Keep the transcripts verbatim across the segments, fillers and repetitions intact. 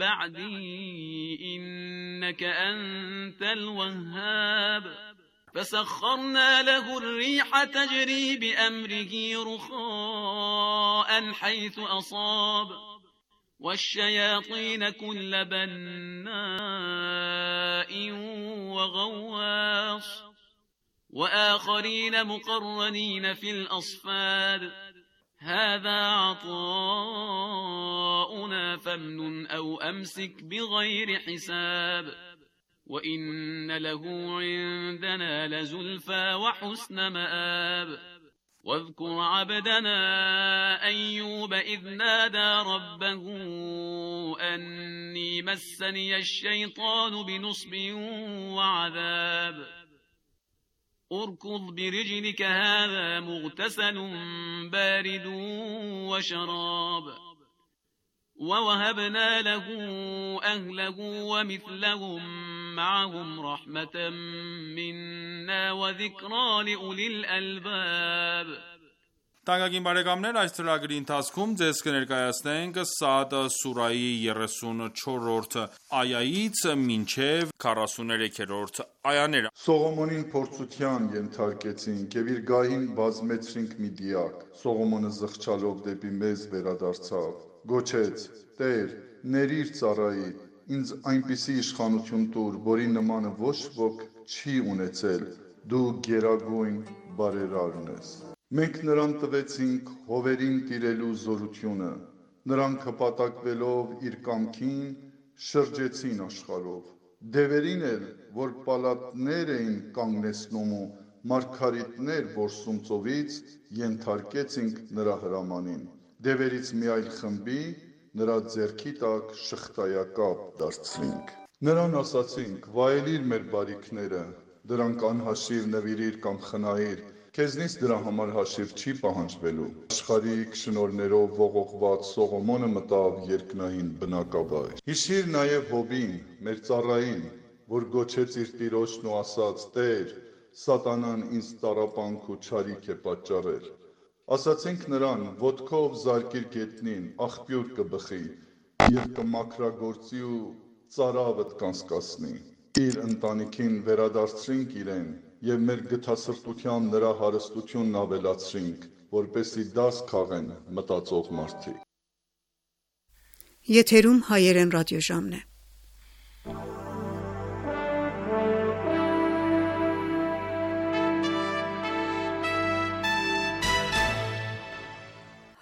بعدي إنك أنت الوهاب فسخرنا له الريح تجري بأمره رخاء حيث أصاب والشياطين كل بناء وغواص وآخرين مقرنين في الأصفاد هذا عطاؤنا فامنن أو أمسك بغير حساب وإن له عندنا لزلفى وحسن مآب واذكر عبدنا أيوب إذ نادى ربه أني مسني الشيطان بنصب وعذاب اركض برجلك هذا مغتسل بارد وشراب ووهبنا له أهله ومثلهم معهم رحمة منا وذكرى لأولي الألباب Տանկագին բարեկամներ, այս ծրագրի ընթացքում ձեզ կներկայացնենք Սաադ սուրայի երեսունչորրորդ այայից մինչև քառասուներեքերորդ այաները։ Սողոմոնին փորձության ենթարկեցինք եւ իր գահին բազմեցրինք մի դիակ։ Սողոմոնը զղջալով դեպի մեզ վերադարձավ, գոչեց. Տեր, ների՛ր ծառայի, ինձ այնպիսի իշխանություն տուր, որի նմանը ոչ ոք չի ունեցել, դու գերագույն բարերարն ես։ Մենք նրան տվեցինք հովերին տիրելու զորությունը, նրանք հպատակվելով իր կամքին շրջեցին աշխարհով, դևերին էլ, որ պալատներ էին կանգնեցնում ու մարգարիտներ որսում ծովից, ենթարկեցինք նրա հրամանին, դևերից մի այլ խմբի նրա ձեռքի տակ շղթայակապ դարձրինք։ Նրան ասացինք, վայելիր մեր բարիքները, դրանք անհաշիվ նվիրիր կամ խնայիր, Քեզնից դրա համար հաշիվ չի պահանջվելու։ Աշխարհիկ շնորհներով ողողված Սողոմոնը մտավ երկնային բնակավայր։ Հիշիր նաև Հոբին, մեր ծառային, որ գոչեց իր տիրոջն ու ասաց. Տեր, սատանան ինձ տառապանք ու չարիք է պատճառել։ Ասացինք նրան, ոտքով զարկիր գետնին, աղբյուր կբխի, եւ կմաքրագործի ու ծարավդ կանցկացնի։ Իր ընտանիքին վերադարձրինք իրեն եւ մեր գթասրտության նրա հարստությունն ավելացրինք, որպեսզի դաս քաղեն մտածող մարդիկ։ Եթերում հայերեն ռադիոժամն է։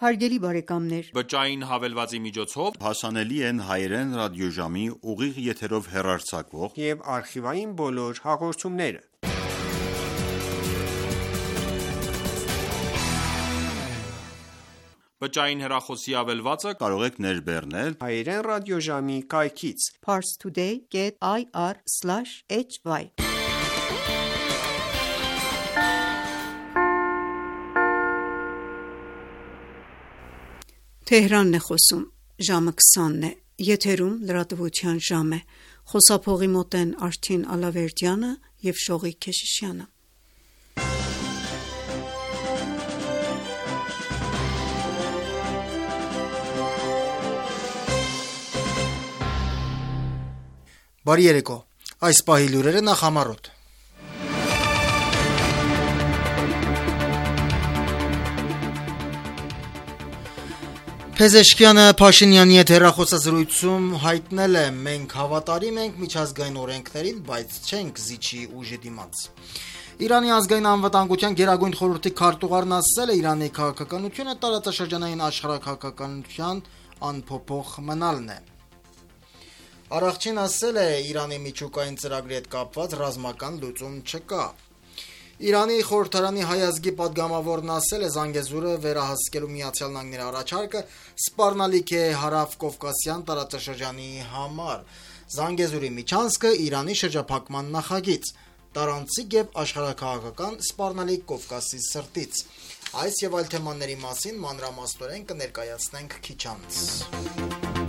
Հարգելի բարեկամներ, Բջջային հավելվածի միջոցով հասանելի են հայերեն ռադիոժամի ուղիղ եթերով հեռարձակվող եւ արխիվային բոլոր հաղորդումները։ Բջջային հեռախոսի ավելվածը կարող եք ներբեռնել հայերեն ռադիոժամի կայքից parstoday dot i r slash h y Թեհրանն է խոսում, ժամը քսանն է, եթերում լրատվության ժամ է, խոսափողի մոտ են Արթին Ալավերդյանը և Շողիկ Քեշիշյանը։ Բարի երեկո, այս պահի լուրերը նախամարոտ։ Փեզեշքյանը Փաշինյանի հետ հեռախոսազրույցում հայտնել է. մենք հավատարիմ ենք միջազգային օրենքներին, բայց չենք զիջի ուժի դիմաց։ Իրանի ազգային անվտանգության գերագույն խորհրդի քարտուղարն ասել է, Իրանի քաղաքականությունը տարածաշրջանային աշխարհաքաղաքականության անփոփոխ մնալն է։ Արաղչին ասել է, Իրանի միջուկային ծրագրի հետ կապված ռազմական լուծում չկա։ Իրանի խորհրդարանի հայ ազգի պատգամավորն ասել է, Զանգեզուրը վերահսկելու Միացյալ Նահանգների առաջարկը սպառնալիք է հարավ-կովկասյան տարածաշրջանի համար։ Զանգեզուրի միջանցքը Իրանի շրջափակման նախագիծ, տարանցիկ եւ աշխարհաքաղաքական սպառնալիք Կովկասի սրտից։ Այս եւ այլ թեմաների մասին մանրամասնորեն կներկայացնենք քիչ անց։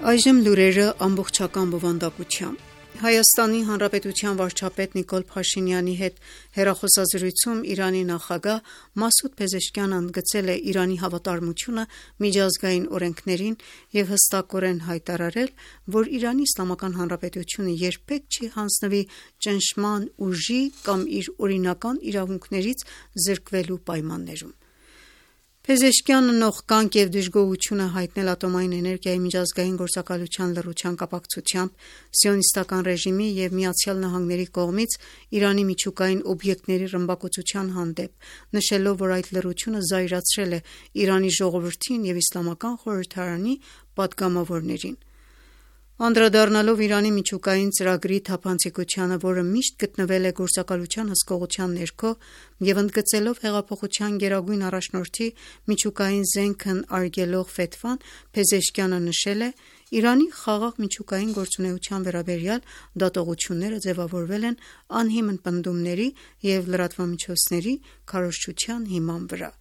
Այժմ լուրերը ամբողջական բովանդակությամբ։ Հայաստանի Հանրապետության վարչապետ Նիկոլ Փաշինյանի հետ հեռախոսազրույցում Իրանի նախագահ Մասուդ Փեզեշքյանն ընդգծել է Իրանի հավատարմությունը միջազգային օրենքներին և հստակորեն հայտարարել, որ Իրանի Իսլամական Հանրապետությունը երբեք չի հանձնվի ճնշման, ուժի կամ իր օրինական իրավունքներից զրկվելու պայմաններում։ Փեզեշքյանը նողկանք և դժգոհություն է հայտնել ատոմային էներգիայի միջազգային գործակալության լռության կապակցությամբ սիոնիստական ռեժիմի և ԱՄՆ-ի կողմից Իրանի միջուկային օբյեկտների ռմբակոծության հանդեպ, նշելով, որ այդ լռությունը զայրացրել է Իրանի ժողովրդին և Իսլամական խորհրդարանի պատգամավորներին։ Անդրադառնալով Իրանի միջուկային ծրագրի թափանցիկությանը, որը միշտ գտնվել է գործակալության հսկողության ներքո, և ընդգծելով հեղափոխության գերագույն առաջնորդի միջուկային զենքն արգելող ֆեթվան, Փեզեշքյանը նշել է. «Իրանի խաղաղ միջուկային գործունեության վերաբերյալ դատողությունները ձևավորվել են անհիմն պնդումների և լրատվամիջոցների քարոզչության հիման վրա»։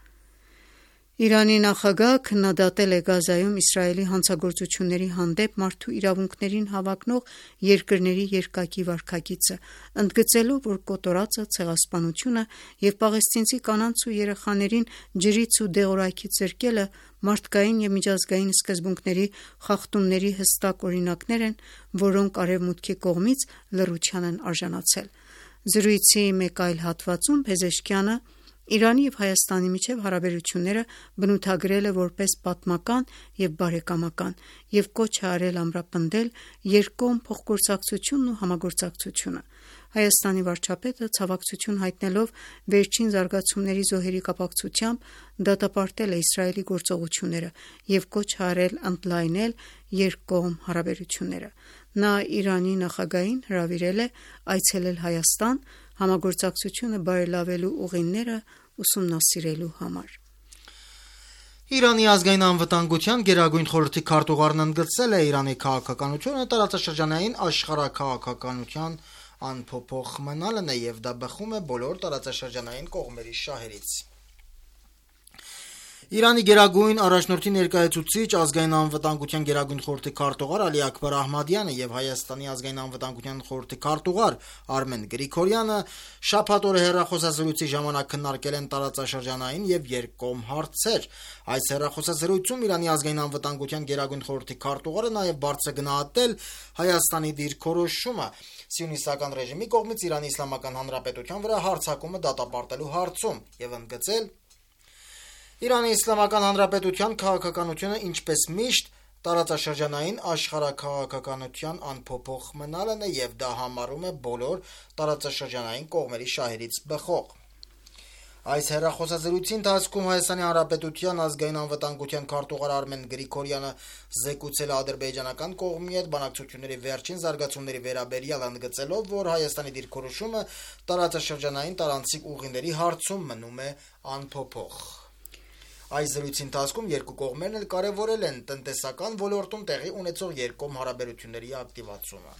Իրանի նախագահը քննադատել է Գազայում Իսրայելի հանցագործությունների հանդեպ մարդու իրավունքներին հավակնող երկրների երկակի վարքագիծը, ընդգծելով, որ կոտորածը, ցեղասպանությունը և պաղեստինցի կանանց ու երեխաներին ջրից ու դեղորայքից զրկելը մարդկային և միջազգային սկզբունքների խախտումների հստակ օրինակներ են, որոնք Արևմուտքի կողմից լռության են արժանացել։ Զրույցի մեկ այլ հատվածում Փեզեշքյանը Իրանի և Հայաստանի միջև հարաբերությունները բնութագրել է որպես պատմական և բարեկամական և կոչ է արել ամրապնդել երկկողմ փոխգործակցությունն ու համագործակցությունը։ Հայաստանի վարչապետը ցավակցություն հայտնելով վերջին զարգացումների զոհերի կապակցությամբ դատապարտել է Իսրայելի գործողությունները և կոչ է արել ընդլայնել երկկողմ հարաբերությունները։ Նա Իրանի նախագահին հրավիրել է այցելել Հայաստան՝ համագործակցությունը բարելավելու ուղիները ուսումնասիրելու համար։ Իրանի ազգային անվտանգության գերագույն խորհրդի քարտուղարն ընդգծել է Իրանի քաղաքականությունը տարածաշրջանային աշխարհաքաղաքականության անփոփոխ մնալն է և դա բխում է բոլոր տարածաշրջանային կողմերի շահերից։ Իրանի գերագույն առաջնորդի ներկայացուցիչ, ազգային անվտանգության գերագույն խորհրդի քարտուղար Ալի Աքբար Ահմադյանը և Հայաստանի ազգային անվտանգության խորհրդի քարտուղար Արմեն Գրիգորյանը շաբաթ օրը հեռախոսազրույցի ժամանակ քննարկել են տարածաշրջանային և երկկողմ հարցեր։ Այս հեռախոսազրույցում Իրանի ազգային անվտանգության գերագույն խորհրդի քարտուղարը նաև բարձր է գնահատել Հայաստանի դիրքորոշումը սիոնիստական ռեժիմի կողմից Իրանի Իսլամական Հանրապետության վրա հարձակումը դատապարտելու հարցում և ընդգծել Իրանի Իսլամական Հանրապետության քաղաքականությունը, ինչպես միշտ, տարածաշրջանային աշխարհաքաղաքականության անփոփոխ մնալն է և դա համարում է բոլոր տարածաշրջանային կողմերի շահերից բխող։ Այս հեռախոսազրույցի ընթացքում Հայաստանի Հանրապետության ազգային անվտանգության քարտուղար Արմեն Գրիգորյանը զեկուցել է ադրբեջանական կողմի հետ բանակցությունների վերջին զարգացումների վերաբերյալ, ընդգծելով, որ Հայաստանի դիրքորոշումը տարածաշրջանային տարանցիկ ուղիների հարցում մնում է անփոփոխ։ Այս զրույցի ընթացքում երկու կողմերն էլ կարևորել են տնտեսական ոլորտում տեղի ունեցող երկկողմ հարաբերությունների ակտիվացումը։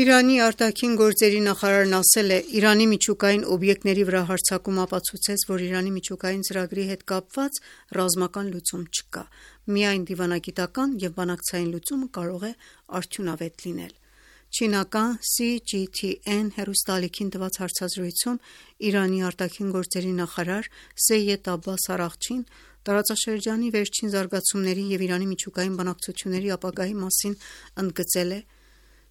Իրանի արտաքին գործերի նախարարն ասել է. «Իրանի միջուկային օբյեկտների վրա հարձակումը ապացուցեց, որ Իրանի միջուկային ծրագրի հետ կապված ռազմական լուծում չկա։ Միայն դիվանագիտական և բանակցային լուծումը կարող է արդյունավետ լինել»։ Չինական սի ջի թի էն հեռուստաալիքին տված հարցազրույցում Իրանի արտաքին գործերի նախարար Սեյեդ Աբբաս Արաղչին տարածաշրջանի վերջին զարգացումների և Իրանի միջուկային բանակցությունների ապագայի մասին ընդգծել է.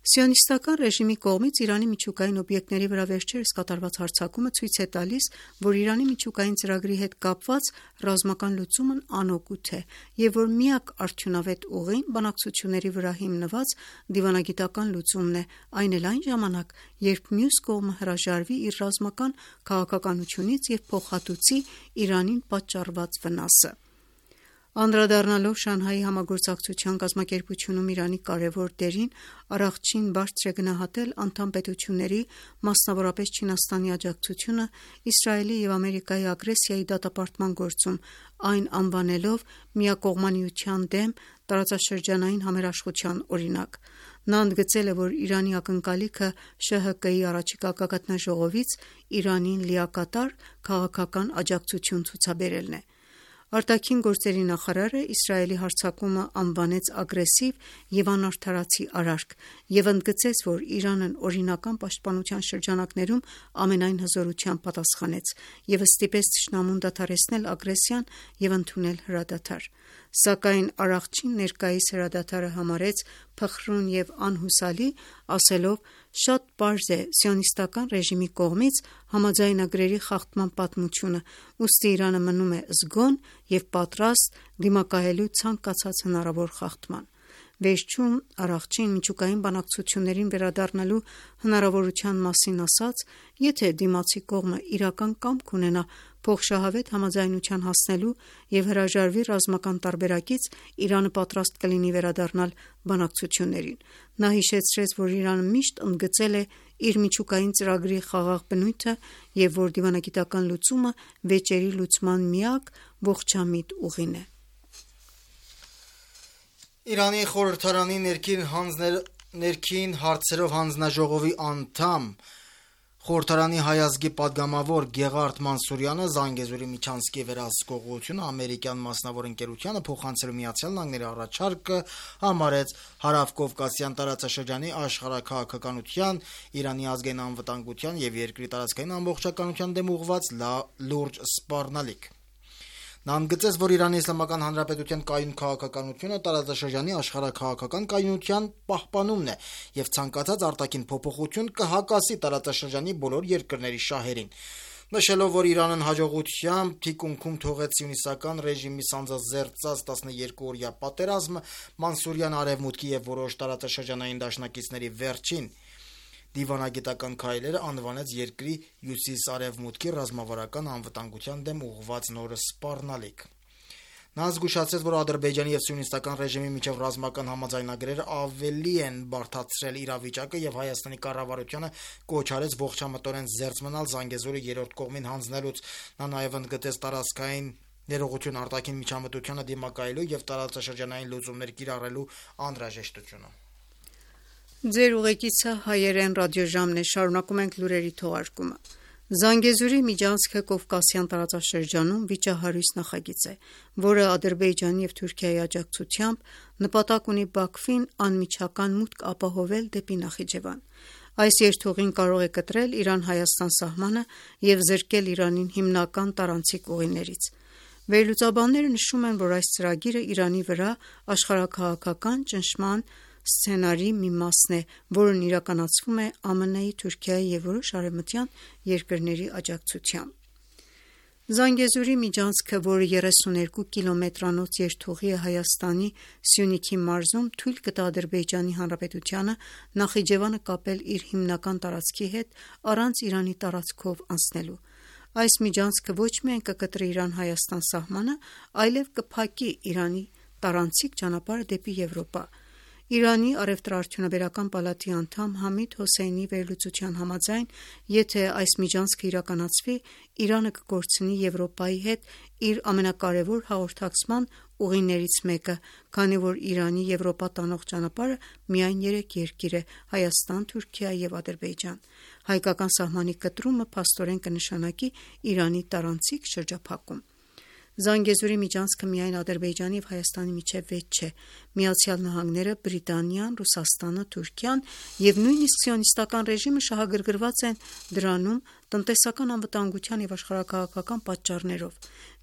«Սիոնիստական ռեժիմի կողմից Իրանի միջուկային օբյեկտների վրա վերջերս կատարված հարձակումը ցույց է տալիս, որ Իրանի միջուկային ծրագրի հետ կապված ռազմական լուծումն անօգուտ է և որ միակ արդյունավետ ուղին բանակցությունների վրա հիմնված դիվանագիտական լուծումն է, այն էլ այն ժամանակ, երբ մյուս կողմը հրաժարվի իր ռազմական քաղաքականությունից և փոխհատուցի Իրանին պատճառված վնասը»։ Անդրադառնալով Շանհայի համագործակցության կազմակերպությունում Իրանի կարևոր դերին, Արաղչին բարձր է գնահատել անդամ պետությունների, մասնավորապես Չինաստանի աջակցությունը Իսրայելի և Ամերիկայի ագրեսիայի դատապարտման գործում, այն անվանելով միակողմանիության դեմ տարածաշրջանային համերաշխության օրինակ։ Նա ընդգծել է, որ Իրանի ակնկալիքը Շ Հ Կ-ի առաջիկա գագաթնաժողովից Իրանին լիակատար քաղաքական աջակցություն ցուցաբերելն է։ Արտաքին գործերի նախարարը Իսրայելի հարձակումը անվանեց ագրեսիվ և անարդարացի արարք և ընդգծեց, որ Իրանն օրինական պաշտպանության շրջանակներում ամենայն հզորությամբ պատասխանեց և ստիպեց թշնամուն դադարեցնել ագրեսիան և ընդունել հրադադար: Սակայն Արաղչին ներկայիս հրադադարը համարեց փխրուն և անհուսալի, ասելով. «Շատ պարզ է սիոնիստական ռեժիմի կողմից համաձայնագրերի խախտման պատմությունը, ուստի Իրանը մնում է զգոն և պատրաստ դիմակայելու ցանկացած հնարավոր խախտման»: Վերջում Արաղչին միջուկային բանակցություններին վերադառնալու հնարավորության մասին ասաց. «Եթե դիմացի կողմը իրական կամք ունենա փոխշահավետ համաձայնության հասնելու և հրաժարվի ռազմական տարբերակից, Իրանը պատրաստ կլինի վերադառնալ բանակցություններին»: Նա հիշեցրեց, որ Իրանը միշտ ընդգծել է իր միջուկային ծրագրի խաղաղ բնույթը և որ դիվանագիտական լուծումը վեճերի լուծման միակ ողջամիտ ուղին է: Իրանի խորհրդարանի ներքին հարցերով հանձնաժողովի անդամ, խորհրդարանի հայ ազգի պատգամավոր Գեղարդ Մանսուրյանը Զանգեզուրի միջանցքի վերահսկողությունը ամերիկյան մասնավոր ընկերությանը փոխանցելու ԱՄՆ առաջարկը համարեց հարավկովկասյան տարածաշրջանի աշխարհաքաղաքականության, Իրանի ազգային անվտանգության և երկրի տարածքային ամբողջականության դեմ ուղղված լուրջ սպառնալիք: Նա ընդգծեց, որ Իրանի Իսլամական Հանրապետության կայուն քաղաքականությունը տարածաշրջանի աշխարհաքաղաքական կայունության պահպանումն է և ցանկացած արտաքին փոփոխություն կհակասի տարածաշրջանի բոլոր երկրների շահերին: Նշելով, որ Իրանն հաջողությամբ թիկունքում թողեց սիոնիստական ռեժիմի սանձազերծած տասներկուօրյա պատերազմը, Մանսուրյանը Արևմուտքի և որոշ տարածաշրջանային դաշնակիցների վերջին դիվանագիտական քայլերը անվանեց երկրի հյուսիս-արևմուտքի ռազմավարական անվտանգության դեմ ուղղված նոր սպառնալիք: Նա զգուշացրեց, որ Ադրբեջանի և սիոնիստական ռեժիմի միջև ռազմական համաձայնագրերը ավելի են բարդացրել իրավիճակը և Հայաստանի կառավարությանը կոչ արեց ողջամտորեն զերծ մնալ Զանգեզուրը երրորդ կողմին հանձնելուց: Նա նաև ընդգծեց տարածքային ներողություն արտաքին միջամտությանը դիմակայելու և տարածաշրջանային լուծումներ կիրառելու անհրաժեշտությունը: Զանգեզուրի միջանցքը Կովկասյան տարածաշրջանում վիճահարույց նախագիծ է, որը Ադրբեջանի և Թուրքիայի աջակցությամբ նպատակ ունի Բաքվին անմիջական մուտք ապահովել դեպի Նախիջևան: Այս երթուղին կարող է կտրել Իրան-Հայաստան սահմանը և զրկել Իրանին հիմնական տարանցիկ ուղիներից: Վերլուծաբանները նշում են, որ այս ծրագիրը Իրանի վրա աշխարհաքաղաքական ճնշման սցենարի մի մասն է, որն իրականացվում է ԱՄՆ-ի, Թուրքիայի և որոշ արևմտյան երկրների աջակցությամբ: Զանգեզուրի միջանցքը, որը երեսուներկու կիլոմետրանոց երթուղի է Հայաստանի Սյունիքի մարզում, թույլ կտա Ադրբեջանի Հանրապետությանը Նախիջևանը կապել իր հիմնական տարածքի հետ առանց Իրանի տարածքով անցնելու: Այս միջանցքը ոչ միայն կկտրի Իրան-Հայաստան սահմանը, այլև կփակի Իրանի տարանցիկ ճանապարհը դեպի Եվրոպա: Իրանի առևտրաարդյունաբերական պալատի անդամ Համիդ Հոսեյնիի վերլուծության համաձայն, եթե այս միջանցքը իրականացվի, Իրանը կկորցնի Եվրոպայի հետ իր ամենակարևոր հաղորդակցման ուղիներից մեկը, քանի որ Իրանի Եվրոպա տանող ճանապարհը միայն երեք երկիր է՝ Հայաստան, Թուրքիա և Ադրբեջան: Հայկական սահմանի կտրումը փաստորեն կնշանակի Իրանի տարանցիկ շրջափակում: Զանգեզուրի միջանցքը միայն Ադրբեջանի և Հայաստանի միջև վեճ չէ: ԱՄՆ-ը, Բրիտանիան, Ռուսաստանը, Թուրքիան և նույնիսկ սիոնիստական ռեժիմը շահագրգռված են դրանում տնտեսական անվտանգության և աշխարհաքաղաքական պատճառներով: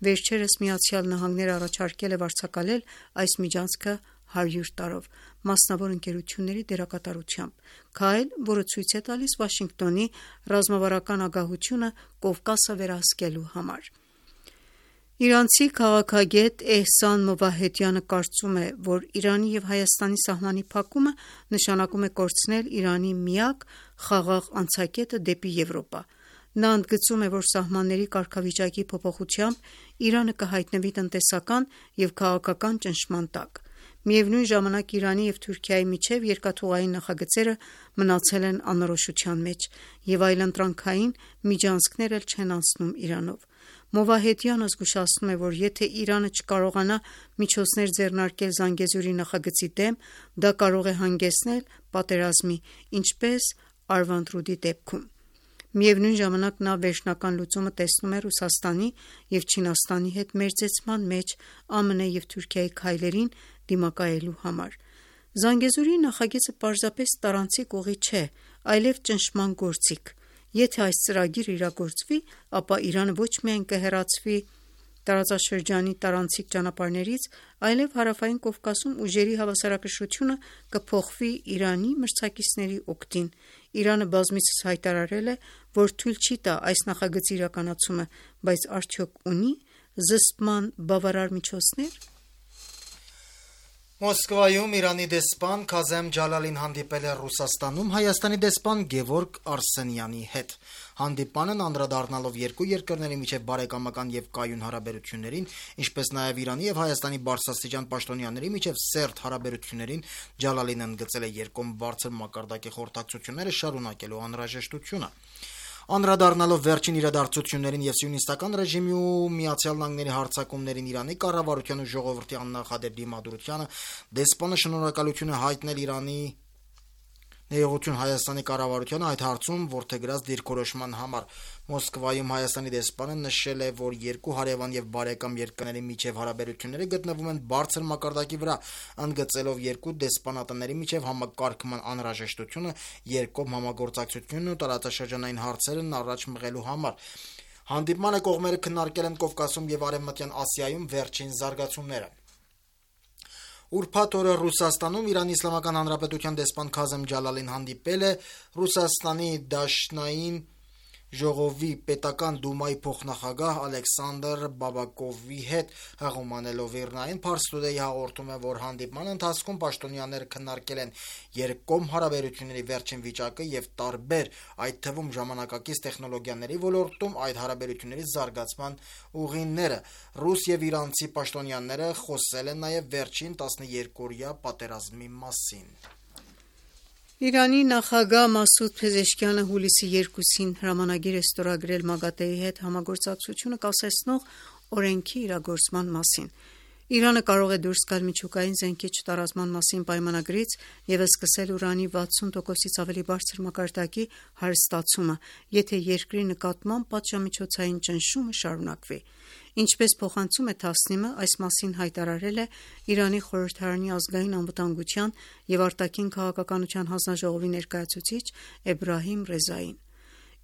Վերջերս ԱՄՆ-ն առաջարկել է վարձակալել այս միջանցքը հարյուր տարով՝ մասնավոր ընկերությունների դերակատարությամբ, քայլ, որը ցույց է տալիս Վաշինգտոնի ռազմավարական ագահությունը Կովկասը վերահսկելու համար: Իրանցի քաղաքագետ Էհսան Մովահեդյանը կարծում է, որ Իրանի և Հայաստանի սահմանի փակումը նշանակում է կորցնել Իրանի միակ խաղաղ անցակետը դեպի Եվրոպա: Նա ընդգծում է, որ սահմանների կարգավիճակի փոփոխությամբ Իրանը կհայտնվի տնտեսական և քաղաքական ճնշման տակ: Միևնույն ժամանակ Իրանի և Թուրքիայի միջև երկաթուղային նախագծերը մնացել են անորոշության մեջ և այլընտրանքային միջանցքներ էլ չեն անցնում Իրանով: Մովահեդյանը զգուշացնում է, որ եթե Իրանը չկարողանա միջոցներ ձեռնարկել Զանգեզուրի նախագծի դեմ, դա կարող է հանգեցնել պատերազմի, ինչպես Արվանդրուդի դեպքում: Միևնույն ժամանակ նա վերջնական լուծումը տեսնում է Ռուսաստանի և Չինաստանի հետ մերձեցման մեջ ԱՄՆ և Թուրքիայի քայլերին դիմակայելու համար։ Զանգեզուրի նախագիծը պարզապես տարանցիկ ուղի չէ, այլև ճնշման գործիք։ Եթե այս ծրագիրը իրագործվի, ապա Իրանը ոչ միայն կհեռացվի տարածաշրջանի տարանցիկ ճանապարհներից, այլև Հարավային Կովկասում ուժերի հավասարակշռությունը կփոխվի Իրանի մրցակիցների օգտին։ Իրանը բազմիցս հայտարարել է, որ թույլ չի տա այս նախագծի իրականացումը, բայց արդյոք ունի զսպման բավարար միջոցներ։ Մոսկվայում Իրանի դեսպան Քազեմ Ջալալին հանդիպել է Ռուսաստանում Հայաստանի դեսպան Գևորգ Արսենյանի հետ։ Հանդիպմանն անդրադառնալով երկու երկրների միջև բարեկամական և կայուն հարաբերություններին, ինչպես նաև Իրանի և Հայաստանի բարձրաստիճան պաշտոնյաների միջև սերտ հարաբերություններին, Ջալալին ընդգծել է երկկողմ բարձր մակարդակի խորհրդակցությունները շարունակելու անհրաժեշտությունը։ Անդրադառնալով վերջին իրադարձություններին և սիոնիստական ռեժիմի ու Միացյալ Նահանգների հարձակումներին Իրանի կառավարության ու ժողովրդի աննախադեպ դիմադրությանը, դեսպանը շնորհակալություն է հայտնել Իրանի ներողություն Հայաստանի կառավարությանը այդ հարցում որդեգրած դիրքորոշման համար։ Մոսկվայում Հայաստանի դեսպանը նշել է, որ երկու հարևան և բարեկամ երկրների միջև հարաբերությունները գտնվում են բարձր մակարդակի վրա, ընդգծելով երկու դեսպանատների միջև համակարգման անհրաժեշտությունը երկկողմ համագործակցությունն ու տարածաշրջանային հարցերն առաջ մղելու համար։ Հանդիպմանը կողմերը քննարկել են Կովկասում և Արևմտյան Ասիայում վերջին զարգացումները։ Ուրբաթ օրը Ռուսաստանում Իրանի Իսլամական Հանրապետության դեսպան Քազեմ Ջալալին հանդիպել է Ռուսաստանի Դաշնային ժողովի պետական դումայի փոխնախագահ Ալեքսանդր Բաբակովի հետ։ Հեղումանելով ԻՌՆԱ-ին, Փարս Today հաղորդում է, որ հանդիպման ընթացքում պաշտոնյաները քննարկել են երկկողմ հարաբերությունների վերջին վիճակը և տարբեր, այդ թվում ժամանակակից տեխնոլոգիաների ոլորտում այդ հարաբերությունների զարգացման ուղիները։ Ռուս և իրանցի պաշտոնյաները խոսել են նաև վերջին տասներկուօրյա պատերազմի մասին։ Իրանի նախագահ Մասուդ Փեզեշքյանը հուլիսի երկուսին հրամանագիր է ստորագրել ՄԱԳԱՏԷ-ի հետ համագործակցությունը կասեցնող օրենքի իրագործման մասին։ Իրանը կարող է դուրս գալ միջուկային զենքի չտարածման մասին պայմանագրից և սկսել ուրանի վաթսուն տոկոսից ավելի բարձր մակարդակի հարստացումը, եթե երկրի նկատմամբ պատժամիջոցային ճնշումը շարունակվի։ Ինչպես փոխանցում է Թասնիմը, այս մասին հայտարարել է Իրանի խորհրդարանի ազգային անվտանգության և արտաքին քաղաքականության հանձնաժողովի ներկայացուցիչ Էբրահիմ Ռեզային։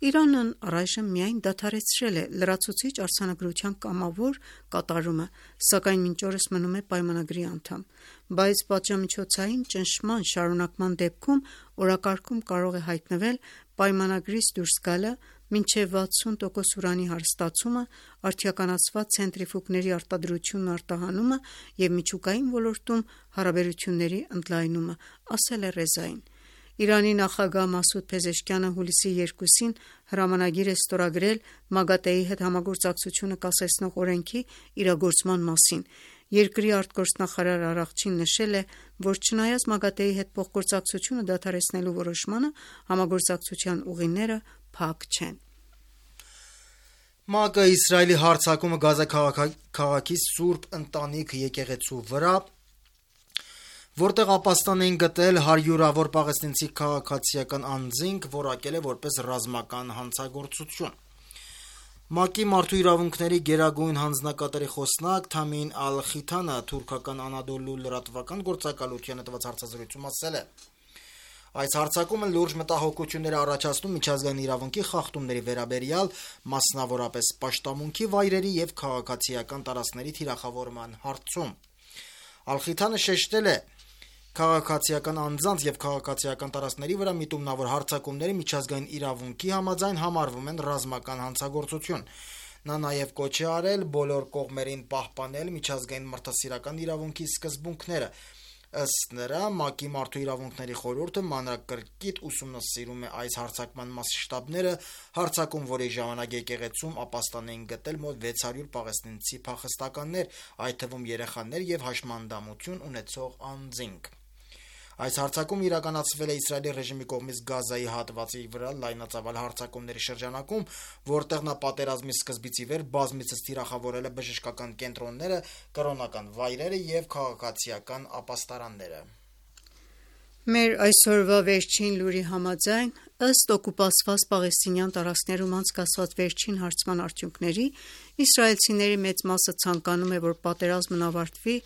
Իրանն առայժմ միայն դադարեցրել է լրացուցիչ արձանագրության կամավոր կատարումը, սակայն մինչ օրս մնում է պայմանագրի անդամ, բայց պատժամիջոցային ճնշման շարունակման դեպքում օրակարգում կարող է հայտնվել պայմանագրից դուրս գալը, մինչև վաթսուն տոկոս ուրանի հարստացումը, արդիականացված ցենտրիֆուգների արտադրությունն ու արտահանումը և միջուկային ոլորտում հարաբերությունների ընդլայնումը, ասել է Ռեզային։ Իրանի նախագահ Մասուդ Փեզեշքյանը հուլիսի երկուսին հրամանագիր է ստորագրել ՄԱԳԱՏԷ-ի հետ համագործակցությունը կասեցնող օրենքի իրագործման մասին։ Երկրի արտգործնախարար Արաղչին նշել է, որ չնայած ՄԱԳԱՏԷ-ի հետ փոխգործակցությունը դադարեցնելու որոշմանը, համագործակցության ուղիները փակ չեն։ ՄԱԿ-ը Իսրայելի հարձակումը Գազա քաղաքի Սուրբ Ընտանիք եկեղեցու վրա, որտեղ ապաստան էին գտել հարյուրավոր պաղեստինցի քաղաքացիական անձինք, որակել է որպես ռազմական հանցագործություն։ ՄԱԿ-ի մարդու իրավունքների գերագույն հանձնակատարի խոսնակ Թամին Ալ-Խիթանը թուրքական Անադոլու լրատվական գործակալությանը տված հարցազրույցում ասել է. Այս հարձակումը լուրջ մտահոգություններ է առաջացնում միջազգային իրավունքի խախտումների վերաբերյալ, մասնավորապես պաշտամունքի վայրերի և քաղաքացիական տարածքների թիրախավորման հարցում։ Ալ-Խիթանը շեշտել է. Քաղաքացիական անձանց և քաղաքացիական տարածքների վրա միտումնավոր հարձակումները միջազգային իրավունքի համաձայն համարվում են ռազմական հանցագործություն։ Նա նաև կոչ է արել բոլոր կողմերին պահպանել միջազգային մարդասիրական իրավունքի սկզբունքները։ Ըստ նրա, ՄԱԿ-ի մարդու իրավունքների խորհուրդը մանրակրկիտ ուսումնասիրում է այս հարձակման մասշտաբները, հարձակում, որի ժամանակ եկեղեցում ապաստան էին գտել մոտ վեց հարյուր պաղեստինցի փախստականներ, այդ թվում երեխաներ և հաշմանդամություն ունեցող անձինք։ Այս հարձակումը իրականացվել է Իսրայելի ռեժիմի կողմից Գազայի հատվածի վրա լայնածավալ հարձակումների շրջանակում, որտեղ նա պատերազմի սկզբից ի վեր բազմիցս թիրախավորել է բժշկական կենտրոնները, կրոնական վայրերը և քաղաքացիական ապաստարանները։ Մեր այսօրվա վերջին լուրի համաձայն, ըստ օկուպացված պաղեստինյան տարածքներում անցկացված վերջին հարցման արդյունքների, իսրայելցիների մեծ մասը ցանկանում է, որ պատերազմն ավարտվի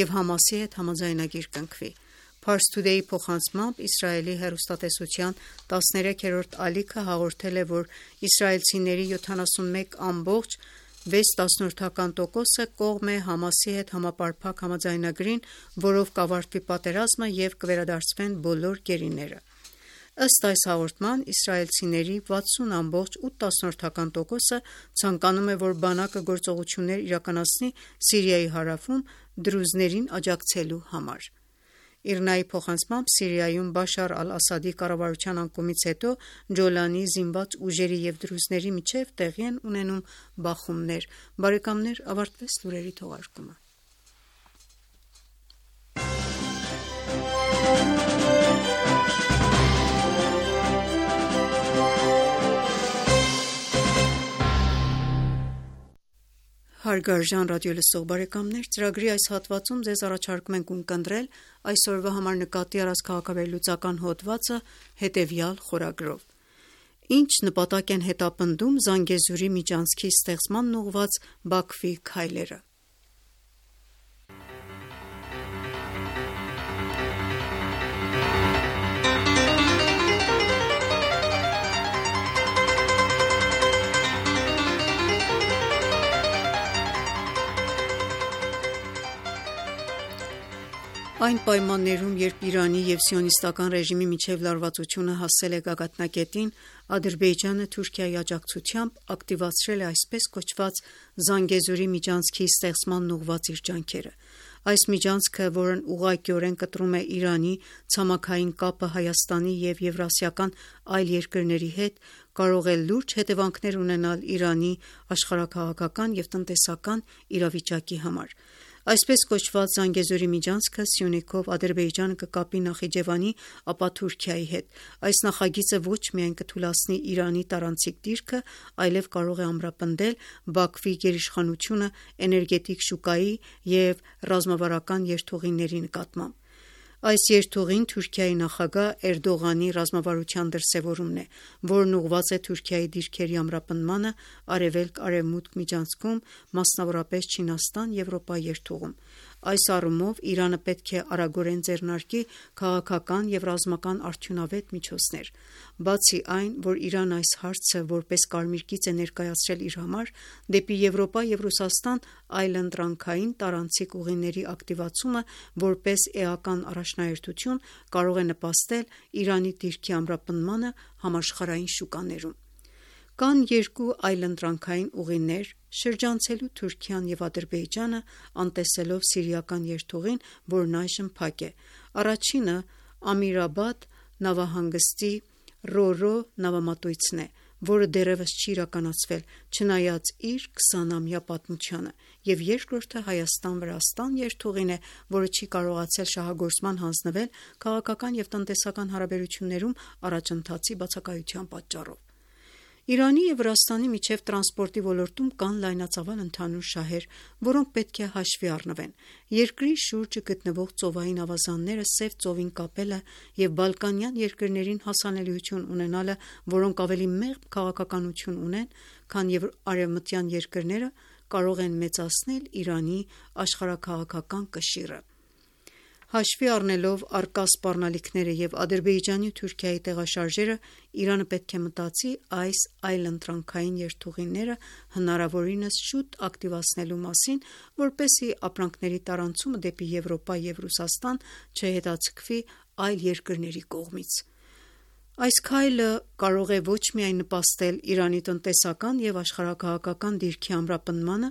և Համասի հետ համաձայնագիր կնքվի։ Pars Today-ի փոխանցմամբ Իսրայելի հեռուստատեսության տասներեքերորդ ալիքը հաղորդել է, որ իսրայելցիների յոթանասունմեկ ամբողջ վեց տոկոսը կողմ է Համասի հետ համապարփակ համաձայնագրին, որով կավարտվի պատերազմը և կվերադարձվեն բոլոր գերիները։ Ըստ այս հաղորդման, իսրայելցիների վաթսուն ամբողջ ութ տոկոսը ցանկանում է, որ բանակը գործողություններ իրականացնի Սիրիայի հարավում դրուզներին աջակցելու համար։ ԻՌՆԱ-ի փոխանցմամբ Սիրիայում Բաշար ալ-Ասադի կառավարության անկումից հետո Ջոլանի զինված ուժերի և դրուզների միջև տեղի են ունենում բախումներ։ Բարեկամներ, ավարտվեց լուրերի թողարկումը։ Հարգարժան ռադիոլսող բարեկամներ, ծրագրի այս հատվածում ձեզ առաջարկում ենք ունկնդրել այսօրվա համար նկատի առած քաղաքավերլուծական հոդվածը հետևյալ խորագրով։ Ինչ նպատակ են հետապնդում Զանգեզուրի միջանցքի ստեղծմանն ուղղված Բաքվի քայլերը։ Այն պայմաններում, երբ Իրանի և սիոնիստական ռեժիմի միջև լարվածությունը հասել է գագաթնակետին, Ադրբեջանը Թուրքիայի աջակցությամբ ակտիվացրել է այսպես կոչված Զանգեզուրի միջանցքի ստեղծմանն ուղղված իր ջանքերը։ Այս միջանցքը, որն ուղղակիորեն կտրում է Իրանի ցամաքային կապը Հայաստանի և եվրասիական այլ երկրների հետ, կարող է լուրջ հետևանքներ ունենալ Իրանի աշխարհաքաղաքական և տնտեսական իրավիճակի համար։ Այսպես կոչված Զանգեզուրի միջանցքը Սյունիքով Ադրբեջանը կկապի Նախիջևանի, ապա Թուրքիայի հետ։ Այս նախագիծը ոչ միայն կթուլացնի Իրանի տարանցիկ դիրքը, այլև կարող է ամրապնդել Բաքվի գերիշխանությունը էներգետիկ շուկայի և ռազմավարական երթուղիների նկատմամբ։ Այս երթուղին Թուրքիայի նախագահ Էրդողանի ռազմավարության դրսևորումն է, որն ուղղված է Թուրքիայի դիրքերի ամրապնդմանը արևելք-արևմուտք միջանցքում, մասնավորապես Չինաստան-Եվրոպա երթուղում։ Այս առումով Իրանը պետք է արագորեն ձեռնարկի քաղաքական և ռազմական արդյունավետ միջոցներ։ Բացի այն, որ Իրանը այս հարցը որպես կարմիր գիծ է ներկայացրել իր համար, դեպի Եվրոպա և Ռուսաստան այլընտրանքային տարանցիկ ուղիների ակտիվացումը որպես էական առաջնահերթություն կարող է նպաստել Իրանի դիրքի ամրապնդմանը համաշխարհային շուկաներում։ Կան երկու այլընտրանքային ուղիներ՝ շրջանցելու Թուրքիան և Ադրբեջանը, անտեսելով սիրիական երթուղին, որն այժմ փակ է։ Առաջինը Ամիրաբադ նավահանգստի Ռո-Ռո նավամատույցն է, որը դեռևս չի իրականացվել, չնայած իր քսանամյա պատմությանը, և երկրորդը Հայաստան-Վրաստան երթուղին է, որը չի կարողացել շահագործման հանձնվել քաղաքական և տնտեսական հարաբերություններում առաջընթացի բացակայության պատճառով։ Իրանի և Վրաստանի միջև տրանսպորտի ոլորտում կան լայնածավալ ընդհանուր շահեր, որոնք պետք է հաշվի առնվեն։ Երկրի շուրջը գտնվող ծովային ավազանները Սև ծովին կապելը և բալկանյան երկրներին հասանելիություն ունենալը, որոնք ավելի մեղմ քաղաքականություն ունեն, քան արևմտյան երկրները, կարող են մեծացնել Իրանի աշխարհաքաղաքական կշիռը։ Հաշվի առնելով առկա սպառնալիքները և Ադրբեջանի ու Թուրքիայի տեղաշարժերը, Իրանը պետք է մտածի այս այլընտրանքային երթուղիները հնարավորինս շուտ ակտիվացնելու մասին, որպեսզի ապրանքների տարանցումը դեպի Եվրոպա և Ռուսաստան չհետաձգվի այլ երկրների կողմից։ Այս քայլը կարող է ոչ միայն նպաստել Իրանի տնտեսական և աշխարհաքաղաքական դիրքի ամրապնդմանը,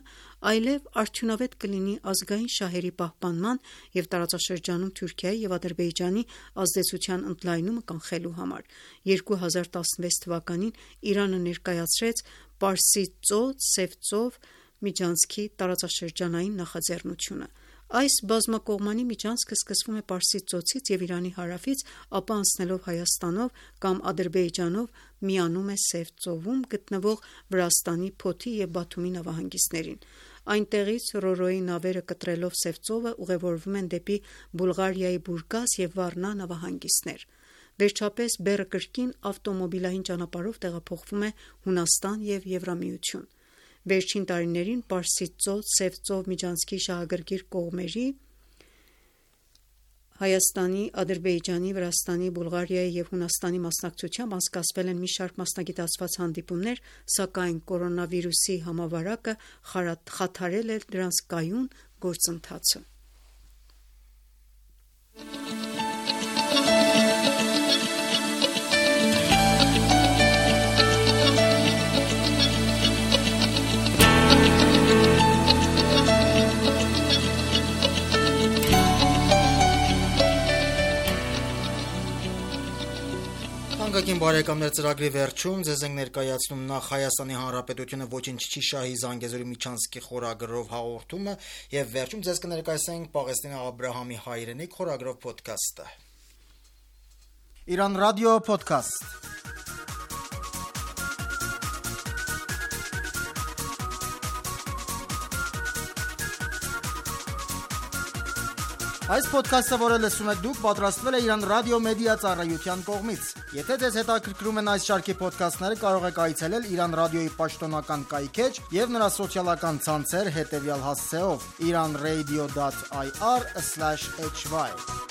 այլև արդյունավետ կլինի ազգային շահերի պահպանման և տարածաշրջանում Թուրքիայի և Ադրբեջանի ազդեցության ընդլայնումը կանխելու համար։ երկու հազար տասնվեց թվականին Իրանը ներկայացրեց Պարսից ծոց-Սև ծով միջանցքի տարածաշրջանային նախաձեռնությունը։ Այս բազմակողմանի միջանցքը սկսվում է Պարսից ծոցից և Իրանի հարավից, ապա անցնելով Հայաստանով կամ Ադրբեջանով միանում է Սև ծովում գտնվող Վրաստանի Փոթի և Բաթումի նավահանգիստներին։ Այնտեղից Ռորոյի նավերը կտրելով Սև ծովը ուղևորվում են դեպի Բուլղարիայի Բուրգաս և Վառնա նավահանգիստներ։ Վերջապես բեռը կրկին ավտոմոբիլային ճանապարհով տեղափոխվում է Հունաստան և Եվրամիություն։ Վերջին տարիներին Պարսից ծոց, Սև ծով միջանցքի շահագրգիռ կողմերի Հայաստանի, Ադրբեջանի, Վրաստանի, Բուլղարիայի և Հունաստանի մասնակցությամբ անցկացվել են մի շարք մասնագիտացված հանդիպումներ, սակայն կորոնավիրուսի համավարակը խաթարել է դրանց կայուն գործընթացը։ Թանկագին բարեկամներ, ծրագրի վերջում ձեզ ենք ներկայացնում նախ Հայաստանի Հանրապետությունը ոչինչ չի շահի Զանգեզուրի միջանցքի խորագրով հաղորդումը եւ վերջում ձեզ կներկայացնենք Պաղեստինի Աբրահամի հայրենիք խորագրով ոդքասթը։ Իրան ռադիո ոդքասթ։ Այս ոդքասթը, որը լսում եք դուք, պատրաստվել է Իրան ռադիո մեդիա ծառայության կողմից։ Եթե ձեզ հետաքրքրում են այս շարքի ոդքասթները, կարող եք այցելել Իրան ռադիոյի պաշտոնական կայքէջ եւ նրա սոցիալական ցանցեր հետեւյալ հասցեով iranradio dot i r slash h y։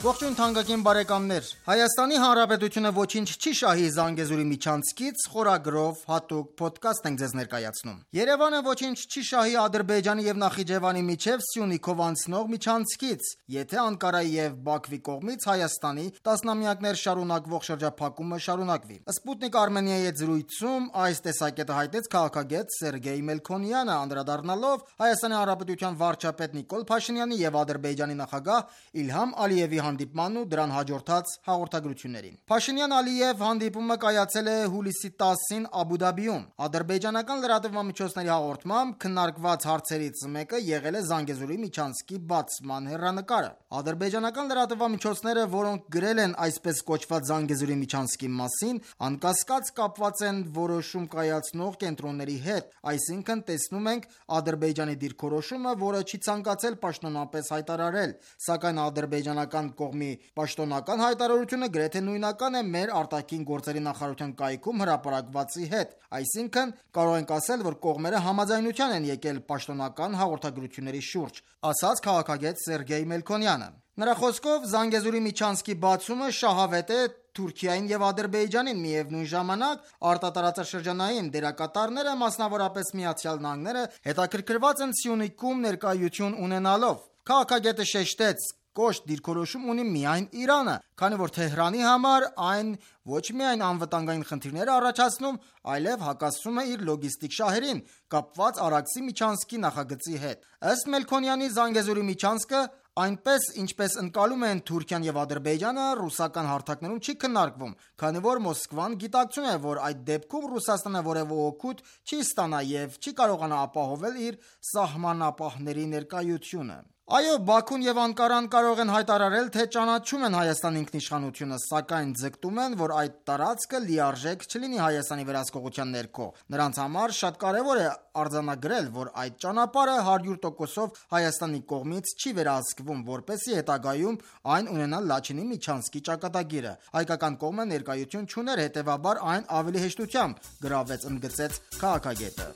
Ողջույն թանկագին բարեկամներ, Հայաստանի Հանրապետությունը ոչինչ չի շահի Զանգեզուրի միջանցքից խորագրով հատուկ ոդքասթ ենք ձեզ ներկայացնում։ Երևանը ոչինչ չի շահի Ադրբեջանի եւ Նախիջևանի միջև Սյունիքով անցնող միջանցքից, եթե Անկարայի եւ Բաքվի կողմից Հայաստանի տասնամյակներ շարունակվող շրջափակումը շարունակվի։ Սպուտնիկ Արմենիայի հետ զրույցում այս տեսակետը հայտնեց քաղաքագետ Սերգեյ Մելքոնյանը, անդրադառնալով Հայաստանի Հանրապետության վարչապետ Նիկոլ Փաշինյանի եւ Ադրբեջանի նախագահ Իլհամ Ալիևի հանդիպմանն ու դրան հաջորդած հաղորդագրություններին։ Փաշինյան-Ալիև հանդիպումը կայացել է հուլիսի տասին Աբու Դաբիում։ Ադրբեջանական լրատվամիջոցների հաղորդմամբ քննարկված հարցերից մեկը եղել է Զանգեզուրի միջանցքի բացման հեռանկարը։ Ադրբեջանական լրատվամիջոցները, որոնք գրել են այսպես կոչված Զանգեզուրի միջանցքի մասին, անկասկած կապված են որոշում կայացնող կենտրոնների հետ, այսինքն տեսնում ենք Ադրբեջանի դիրքորոշումը, որը չի ցանկացել պաշտոնապես հայտարարել, սակայն ադրբեջանական կողմի պաշտոնական հայտարարությունը գրեթե նույնական է մեր արտաքին գործերի նախարարության կայքում հրապարակվածի հետ, այսինքն կարող ենք ասել, որ կողմերը համաձայնության են եկել պաշտոնական հաղորդագրությունների շուրջ, ասաց քաղաքագետ Սերգեյ Մելքոնյանը։ Նրա խոսքով Զանգեզուրի միջանցքի բացումը շահավետ է Թուրքիային եւ Ադրբեջանին, միևնույն ժամանակ արտատարածաշրջանային դերակատարները, մասնավորապես Միացյալ Նահանգները, հետաքրքրված են Սյունիքում ներկայություն ունենալով։ Քաղաքագետը շեշտեց, կոշտ դիրքորոշում ունի միայն Իրանը, քանի որ Թեհրանի համար այն ոչ միայն անվտանգային խնդիրներ է առաջացնում, այլև հակասում է իր լոգիստիկ շահերին, կապված Արաքսի միջանցքի նախագծի հետ։ Ըստ Մելքոնյանի, Զանգեզուրի միջանցքը այնպես, ինչպես ընկալում են Թուրքիան եւ Ադրբեջանը, ռուսական հարթակներում չի քննարկվում, քանի որ Մոսկվան գիտակցում է, որ այդ դեպքում Ռուսաստանը որևէ օգուտ չի ստանա եւ չի կարողանա ապահովել իր սահմանապահների ներկայությունը։ Այո, Բաքուն եւ Անկարան կարող են հայտարարել, թե ճանաչում են Հայաստանի ինքնիշխանությունը, սակայն ձգտում են, որ այդ տարածքը լիարժեք չլինի Հայաստանի վերահսկողության ներքո։ Նրանց համար շատ կարևոր է արձանագրել, որ այդ ճանապարհը հարյուր տոկոսով Հայաստանի կողմից չի վերահսկվում, որպեսզի հետագայում այն ունենա Լաչինի միջանցքի ճակատագիրը։ Հայկական կողմը ներկայություն չուներ, հետևաբար այն ավելի հեշտությամբ գրավեց, ընդգծեց քաղաքագետը։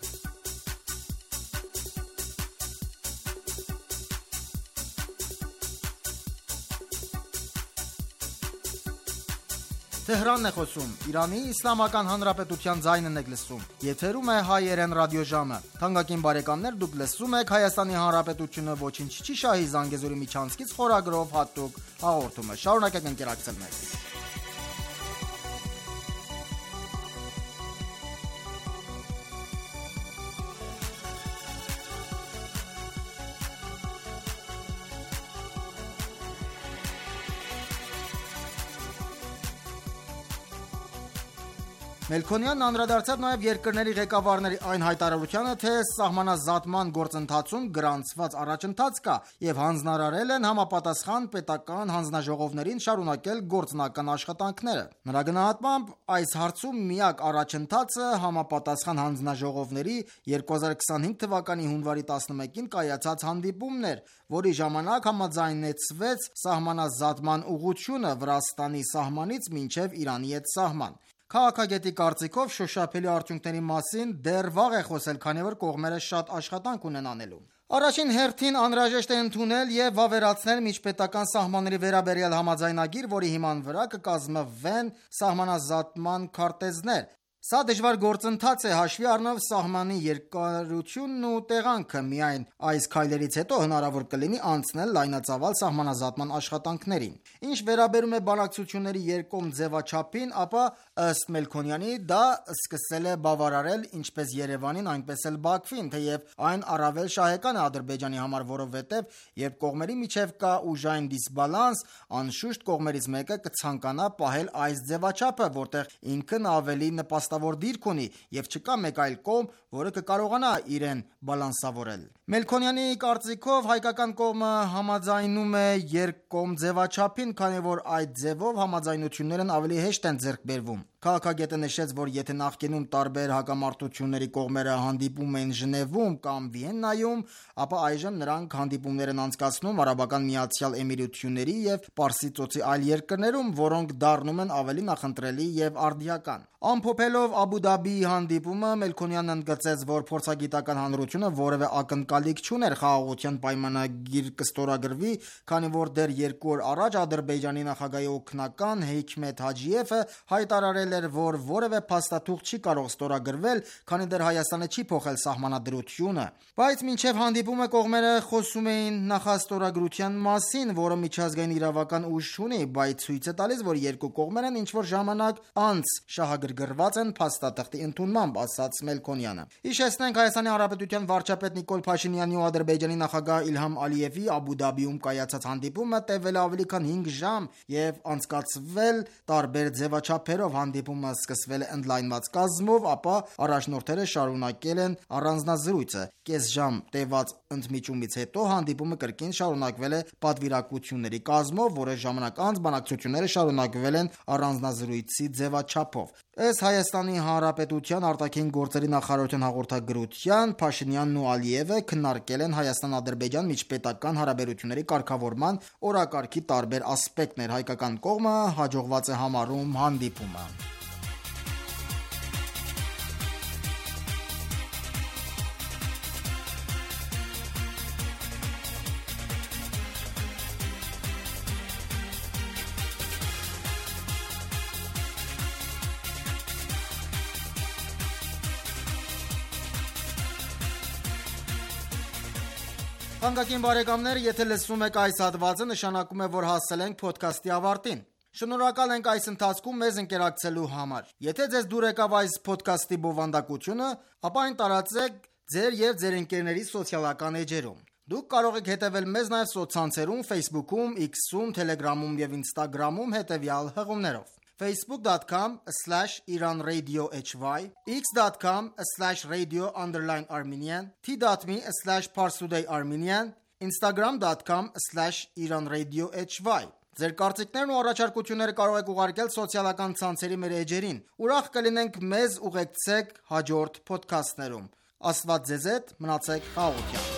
Թեհրանն է խոսում, Իրանի Իսլամական Հանրապետության ձայնն եք լսում, եթերում է հայերեն ռադիոժամը։ Թանկագին բարեկամներ, դուք լսում եք Հայաստանի Հանրապետությունը ոչինչ չի շահի Զանգեզուրի միջանցքից խորագրով հատուկ հաղորդումը։ Շարունակեք ընկերակցել մեզ։ Մելքոնյանն անդրադարձավ նաև երկրների ղեկավարների այն հայտարարությանը, թե սահմանազատման գործընթացում գրանցված առաջընթաց կա եւ հանձնարարել են համապատասխան պետական հանձնաժողովներին շարունակել գործնական աշխատանքները։ Նրա գնահատմամբ այս հարցում միակ առաջընթացը համապատասխան հանձնաժողովների երկու հազար քսանհինգ թվականի հունվարի տասնմեկին կայացած հանդիպումն էր, որի ժամանակ համաձայնեցվեց սահմանազատման ուղղությունը Վրաստանի սահմանից մինչև Իրանի հետ սահման։ Քաղաքագետի կարծիքով շոշափելի արդյունքների մասին դեռ վաղ է խոսել, քանի որ կողմերը շատ աշխատանք ունեն անելու։ Առաջին հերթին անհրաժեշտ է ընդունել եւ վավերացնել միջպետական սահմանների վերաբերյալ համաձայնագիր, որի հիման վրա կկազմվեն սահմանազատման քարտեզներ։ Սա դժվար գործընթաց է, հաշվի առնելով սահմանի երկարությունն ու տեղանքը։ Միայն այս քայլերից հետո հնարավոր կլինի անցնել լայնածավալ սահմանազատման աշխատանքներին։ Ինչ վերաբերում է բանակցությունների երկկողմ ձևաչափին, ապա ըստ Մելքոնյանի դա սկսել է բավարարել ինչպես Երևանին, այնպես էլ Բաքվին, թեև այն առավել շահեկան է Ադրբեջանի համար, որովհետև երբ կողմերի միջև կա ուժային դիսբալանս, անշուշտ կողմերից մեկը կցանկանա պահել այս ձևաչափը, որտեղ ինքն ավելի նպաստավոր դիրք ունի եւ չկա մեկ այլ կողմ, որը կկարողանա իրեն բալանսավորել։ Մելքոնյանի կարծիքով հայկական կողմը համաձայնում է երկկողմ ձևաչափին, քանի որ այդ ձևով համաձայնություններն ավելի հեշտ են ձեռք բերվում։ Քաղաքագետը նշեց, որ եթե նախկինում տարբեր հակամարտությունների կողմերը հանդիպում էին Ժնևում կամ Վիեննայում, ապա այժմ նրանք հանդիպումներ են անցկացնում Արաբական Միացյալ Էմիրությունների եւ Պարսից ծոցի այլ երկրներում, որոնք դառնում են ավելի նախընտրելի եւ արդիական։ Ամփոփելով Աբու Դաբիի հանդիպումը, Մելքոնյանն ընդգծեց, որ փորձագիտական հանրությունը որևէ ակնկալիք չուներ խաղաղության պայմանագիր կստորագրվի, քանի որ դեռ երկու օր առաջ Ադրբեջանի նախագահի օգնական Հեյքմեթ Հաջիևը հայտարարել էր, որ որևէ փաստաթուղթ չի կարող ստորագրվել, քանի դեռ Հայաստանը չի փոխել սահմանադրությունը։ Բայց մինչև հանդիպումը կողմերը խոսում էին նախաստորագրության մասին, որը միջազգային իրավական ուժ չունի, բայց ցույց է տալիս, որ երկու կողմերն ինչ-որ ժամանակ անց շահագրգռված են փաստաթղթի ընդունմամբ, ասաց Մելքոնյանը։ Հիշեցնենք, Հայաստանի Հանրապետության վարչապետ Նիկոլ Փաշինյանի ու Ադրբեջանի նախագահ Իլհամ Ալիևի Աբու Դաբիում կայացած հանդիպումը տևել ավելի քան հինգ ժամ եւ անցկացվել տարբեր ձևաչափերով։ Հանդիպումը սկսվել է ընդլայնված կազմով, ապա առաջնորդները շարունակել են առանձնազրույցը։ Կես ժամ տևած ընդմիջումից հետո հանդիպումը կրկին շարունակվել է պատվիրակությունների կազմով, որը ժամանակ անց բանակցությունները շարունակվել են առանձնազրույցի ձևաչափով։ Ըստ Հայաստանի Հանրապետության արտաքին գործերի նախարարության հաղորդագրության, Փաշինյանն ու Ալիևը քննարկել են Հայաստան-Ադրբեջան միջպետական հարաբերությունների կարգավորման օրակարգի տարբեր ասպեկտներ։ Հայկական կողմը հաջողված է համարում հանդիպումը։ Թանկագին բարեկամներ, եթե լսում եք այս հատվածը, նշանակում է, որ հասել ենք ոդքասթի ավարտին։ Շնորհակալ ենք այս ընթացքում մեզ ընկերակցելու համար։ Եթե ձեզ դուր եկավ այս ոդքասթի բովանդակությունը, ապա այն տարածեք ձեր եւ ձեր ընկերների սոցիալական էջերում։ Դուք կարող եք հետևել մեզ նաև սոցցանցերում, Facebook-ում, X-ում, Telegram-ում եւ Instagram-ում հետևյալ հղումներով. facebook dot com slash iran radio h y, x dot com slash radio underline armenian, t dot m e slash parstoday armenian, instagram dot com slash iran radio h y։ Ձեր կարծիքներն ու առաջարկությունները կարող եք ուղարկել սոցիալական ցանցերի մեր էջերին։ Ուրախ կլինենք մեզ ուղեկցեք հաջորդ ոդքասթներում։ Աստված ձեզ հետ, մնացեք խաղաղությամբ։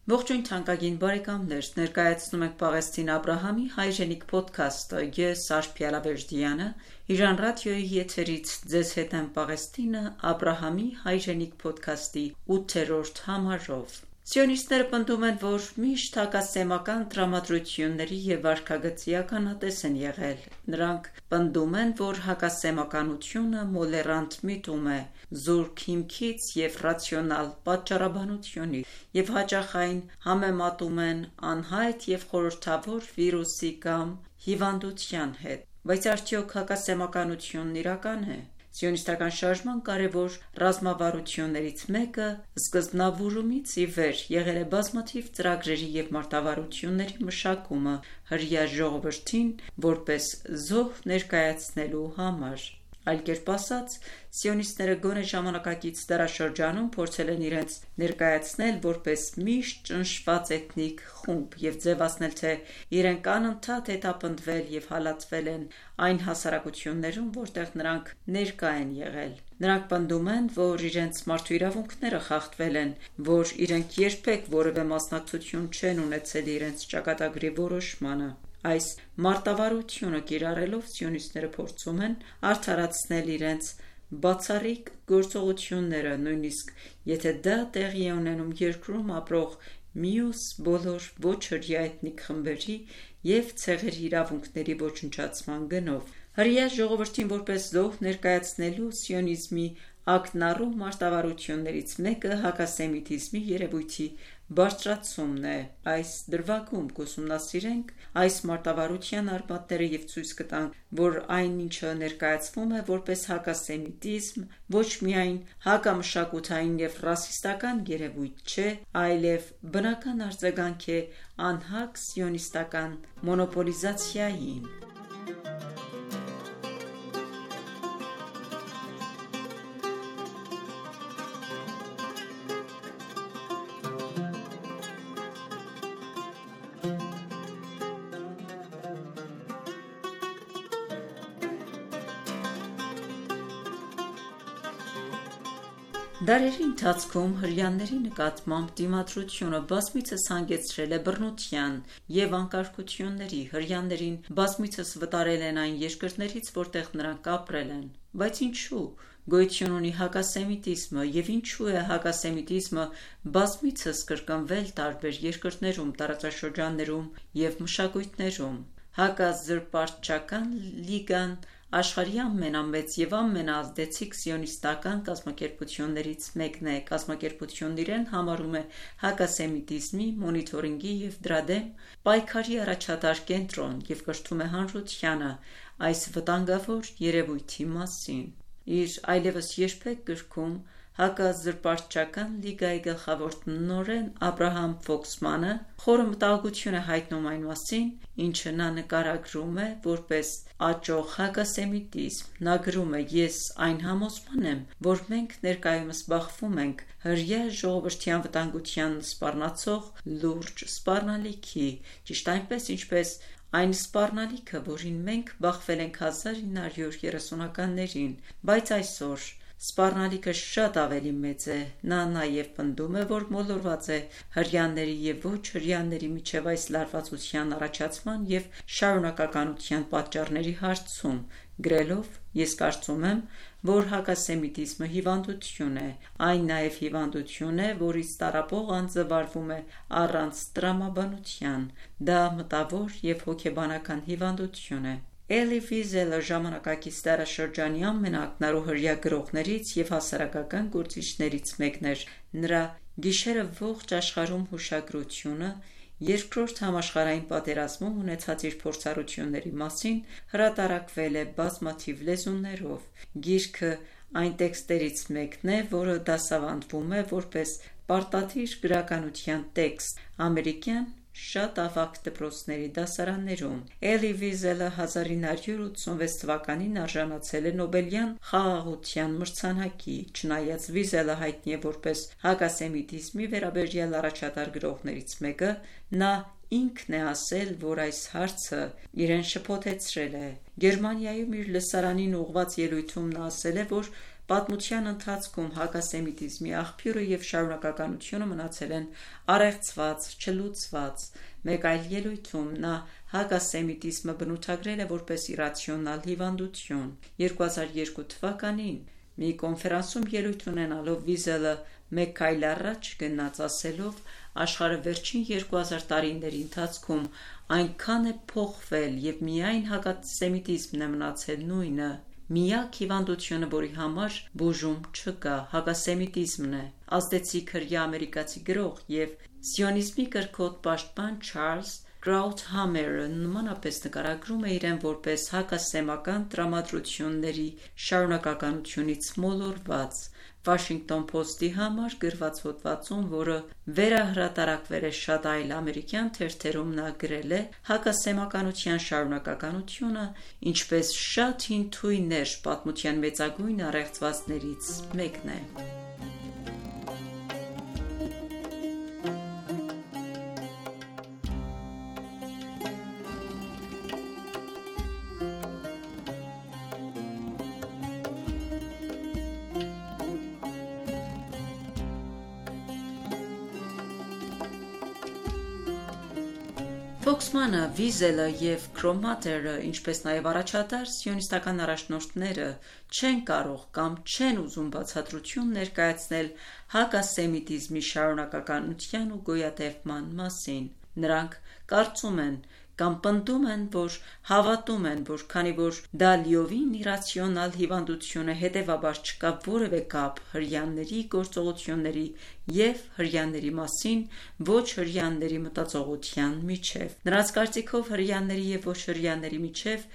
Ողջույն թանկագին բարեկամներ, ներկայացնում ենք Պաղեստին Աբրահամի հայրենիք ոդքասթը։ Ես Արփիա Լավերդյանը, Իրան ռադիոյի եթերից ձեզ հետ եմ Պաղեստինը Աբրահամի հայրենիք ոդքասթի ութերորդ համարով։ Սիոնիստները պնդում են, որ միշտ հակասեմական տրամադրությունների և վարքագծի ականատես են եղել։ Նրանք պնդում են, որ հակասեմականությունը մոլեռանդ միտում է, զուրկ հիմքից և ռացիոնալ պատճառաբանությունից, և հաճախ այն համեմատում են անհայտ և խորհրդավոր վիրուսի կամ հիվանդության հետ։ Բայց արդյոք հակասեմականությունն իրական է։ Սիոնիստական շարժման կարևոր ռազմավարություններից մեկը սկզբնավորումից ի վեր եղել է բազմաթիվ ծրագրերի և մարտավարությունների մշակումը հրեա ժողովրդին որպես զոհ ներկայացնելու համար։ Այլ կերպ ասած, սիոնիստները գոնե ժամանակակից դարաշրջանում փորձել են իրենց ներկայացնել որպես միշտ ճնշված էթնիկ խումբ և ձևացնել, թե իրենք անընդհատ հետապնդվել և հալածվել են այն հասարակություններում, որտեղ նրանք ներկա են եղել։ Նրանք պնդում են, որ իրենց մարդու իրավունքները խախտվել են, որ իրենք երբեք որևէ մասնակցություն չեն ունեցել իրենց ճակատագրի որոշմանը։ Այս մարտավարությունը կիրառելով սիոնիստները փորձում են արդարացնել իրենց բացառիկ գործողությունները, նույնիսկ եթե դա տեղի է ունենում երկրում ապրող մյուս բոլոր ոչ հրեա էթնիկ խմբերի և ցեղերի իրավունքների ոչնչացման գնով։ Հրեա ժողովրդին որպես զոհ ներկայացնելու սիոնիզմի ակնառու մարտավարություններից մեկը հակասեմիտիզմի երևույթի բարձրացումն է։ Այս դրվագում կուսումնասիրենք այս մարտավարության արմատները և ցույց կտանք, որ այն, ինչը ներկայացվում է որպես հակասեմիտիզմ, ոչ միայն հակամշակութային և ռասիստական երևույթ չէ, այլև բնական արձագանք է անհակ սիոնիստական մոնոպոլիզացիային։ Դարերի ընթացքում հրեաների նկատմամբ դիմադրությունը բազմիցս հանգեցրել է բռնության և անկարգությունների, հրեաներին բազմիցս վտարել են այն երկրներից, որտեղ նրանք ապրել են։ Բայց ինչու՞ գոյություն ունի հակասեմիտիզմը և ինչու է հակասեմիտիզմը բազմիցս կրկնվել տարբեր երկրներում, տարածաշրջաններում և մշակույթներում։ Հակազրպարտչական լիգան աշխարհի ամենամեծ և ամենաազդեցիկ սիոնիստական կազմակերպություններից մեկն է։ Կազմակերպությունն իրեն համարում է հակասեմիտիզմի մոնիթորինգի և դրա դեմ պայքարի առաջատար կենտրոն և կրթում է հանրությանը այս վտանգավոր երևույթի մասին։ Իր այլևս երբեք գրքում հակազրպարտչական լիգայի գլխավոր տնօրեն Աբրահամ Ֆոքսմանը խորը մտահոգություն է հայտնում այն մասին, ինչը նա նկարագրում է որպես աճող հակասեմիտիզմ։ Նա գրում է. «Ես այն համոզման եմ, որ մենք ներկայումս բախվում ենք հրեա ժողովրդի անվտանգությանը սպառնացող լուրջ սպառնալիքի, ճիշտ այնպես, ինչպես այն սպառնալիքը, որին մենք բախվել ենք հազար ինը հարյուր երեսունականներին, բայց այսօր սպառնալիքը շատ ավելի մեծ է»։ Նա նաև պնդում է, որ մոլորված է հրեաների և ոչ հրեաների միջև այս լարվածության առաջացման և շարունակականության պատճառների հարցում, գրելով. «Ես կարծում եմ, որ հակասեմիտիզմը հիվանդություն է։ Այն նաև հիվանդություն է, որից տառապող անձը վարվում է առանց տրամաբանության։ Դա մտավոր և հոգեբանական հիվանդություն է»։ Էլի Վիզելը ժամանակակից դարաշրջանի ամենաակնառու հրեա գրողներից և հասարակական գործիչներից մեկն էր։ Նրա «Գիշերը ողջ աշխարհում» հուշագրությունը Երկրորդ համաշխարհային պատերազմում ունեցած իր փորձառությունների մասին հրատարակվել է բազմաթիվ լեզուներով։ Գիրքը այն տեքստերից մեկն է, որը դասավանդվում է որպես պարտադիր գրականության տեքստ ամերիկյան շատ ավագ դպրոցների դասարաններում։ Էլի Վիզելը հազար ինը հարյուր ութսունվեց թվականին արժանացել է Նոբելյան խաղաղության մրցանակի։ Չնայած Վիզելը հայտնի է որպես հակասեմիտիզմի վերաբերյալ առաջատար գրողներից մեկը, նա ինքն է ասել, որ այս հարցը իրեն շփոթեցրել է։ Գերմանիայում իր լսարանին ուղղված ելույթում նա ասել է, որ պատմության ընթացքում հակասեմիտիզմի աղբյուրը և շարունակականությունը մնացել են առեղծված, չլուծված։ Մեկ այլ ելույթում նա հակասեմիտիզմը բնութագրել է որպես իռացիոնալ հիվանդություն։ երկու հազար երկու թվականին Մի կոնֆերանսում ելույթ ունենալով Վիզելը մեկ քայլ առաջ գնաց, ասելով. «Աշխարհը վերջին երկու հազար տարիների ընթացքում այնքան է փոխվել և միայն հակասեմիտիզմն է մնացել նույնը։ Միակ հիվանդությունը, որի համար բուժում չկա, հակասեմիտիզմն է»։ Ազդեցիկ հրեա ամերիկացի գրող և սիոնիզմի կրքոտ պաշտպան Չարլզ Քրաութհամերը նմանապես նկարագրում է իրեն որպես հակասեմական տրամադրությունների շարունակականությունից մոլորված։ Washington Post-ի համար գրված հոդվածում, որը վերահրատարակվել է շատ այլ ամերիկյան թերթերում, նա գրել է. «Հակասեմականության շարունակականությունը, ինչպես շատ հին թույներ, պատմության մեծագույն առեղծվածներից մեկն է»։ Ֆոքսմանը, Վիզելը և Քրոմատերը, ինչպես նաև առաջատար սիոնիստական առաջնորդները չեն կարող կամ չեն ուզում բացատրություն ներկայացնել հակասեմիտիզմի շարունակականության ու գոյատևման մասին։ Նրանք կարծում են կամ պնդում են, որ հավատում են, որ քանի որ դա լիովին իռացիոնալ հիվանդություն է, հետևաբար չկա որևէ կապ հրեաների գործողությունների և հրեաների մասին ոչ հրեաների մտածողության միջև։ Նրանց կարծիքով հրեաների և ոչ հրեաների միջև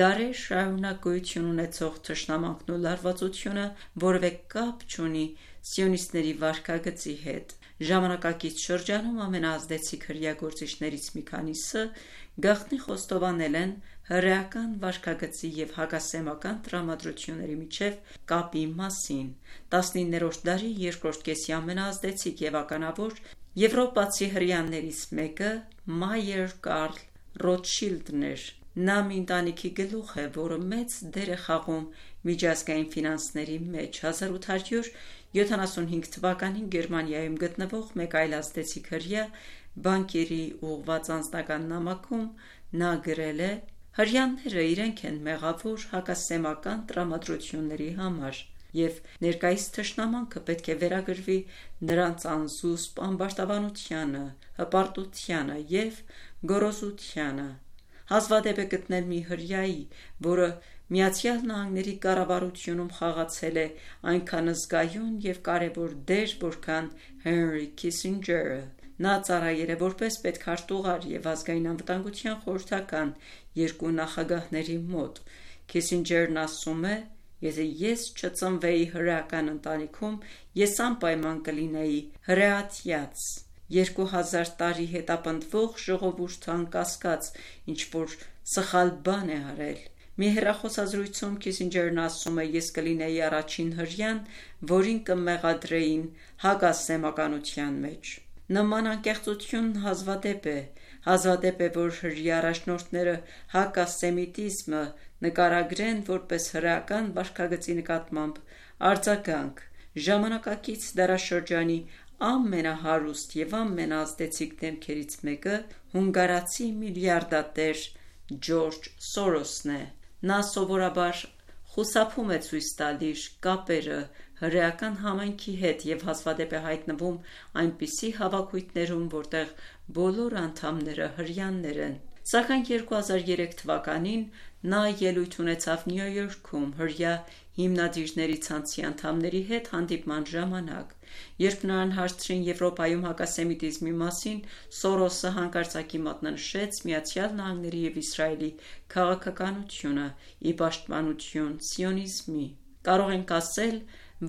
դարեր շարունակ գոյություն ունեցող թշնամանքն ու լարվածությունը որևէ կապ չունի սիոնիստների վարքագծի հետ։ Ժամանակակից շրջանում ամենաազդեցիկ հրեա գործիչներից մի քանիսը գաղտնի խոստովանել են հրեական վարքագծի և հակասեմական տրամադրությունների միջև կապի մասին։ տասնիններորդ դարի երկրորդ կեսի ամենաազդեցիկ և ականավոր եվրոպացի հրեաներից մեկը Մայեր Կարլ Ռոթշիլդն էր։ Նա մի ընտանիքի գլուխ է, որը մեծ դեր է խաղում միջազգային ֆինանսների մեջ։ հազար ութ հարյուր յոթանասունհինգ թվականին Գերմանիայում գտնվող մեկ այլ ազդեցիկ հրեա բանկերի ուղղված անձնական նամակում նա գրել է. «Հրեաները իրենք են մեղավոր հակասեմական տրամադրությունների համար, և ներկայիս թշնամանքը պետք է վերագրվի նրանց անզուսպ ամբարտավանությանը, հպարտությանը և գոռոզությանը։ Հազվադեպ է գտնել մի հրեայի, որը Միացյալ Նահանգների կառավարությունում խաղացել է այնքան զգայուն և կարևոր դեր, որքան Հենրի Քիսինջերը։ Նա ծառայել է որպես պետքարտուղար և ազգային անվտանգության խորհրդական երկու նախագահների մոտ։ Քիսինջերն ասում է. «Եթե ես չծնվեի հրեական ընտանիքում, ես անպայման կլինեի հրեատյաց, երկու հազար տարի հետապնդվող ժողովուրդը անկասկած ինչ-որ սխալ բան է արել»։ Մի հեռախոսազրույցում Քիսինջերն ասում է. «Ես կլինեի առաջին հրեան, որին կմեղադրեին հակասեմականության մեջ»։ Նման անկեղծությունն հազվադեպ է։ Հազվադեպ է, որ հրեա առաջնորդները հակասեմիտիզմը նկարագրեն որպես հրեական վարքագծի նկատմամբ արձագանք։ Ժամանակակից դարաշրջանի ամենահարուստ և ամենաազդեցիկ դեմքերից մեկը հունգարացի միլիարդատեր Ջորջ Սորոսն է։ Նա սովորաբար խուսափում է ցույց տալ իր կապերը հրեական համայնքի հետ և հազվադեպ է հայտնվում այնպիսի հավաքույթներում, որտեղ բոլոր անդամները հրեաներ են։ Սակայն երկու հազար երեք թվականին նա ելույթ ունեցավ Նյու Յորքում հրեա հիմնադիրների ցանցի անդամների հետ հանդիպման ժամանակ։ Երբ նրան հարցրին Եվրոպայում հակասեմիտիզմի մասին, Սորոսը հանկարծակի մատնանշեց Միացյալ Նահանգների և Իսրայելի քաղաքականությունը՝ ի պաշտպանություն սիոնիզմի։ «Կարող ենք ասել,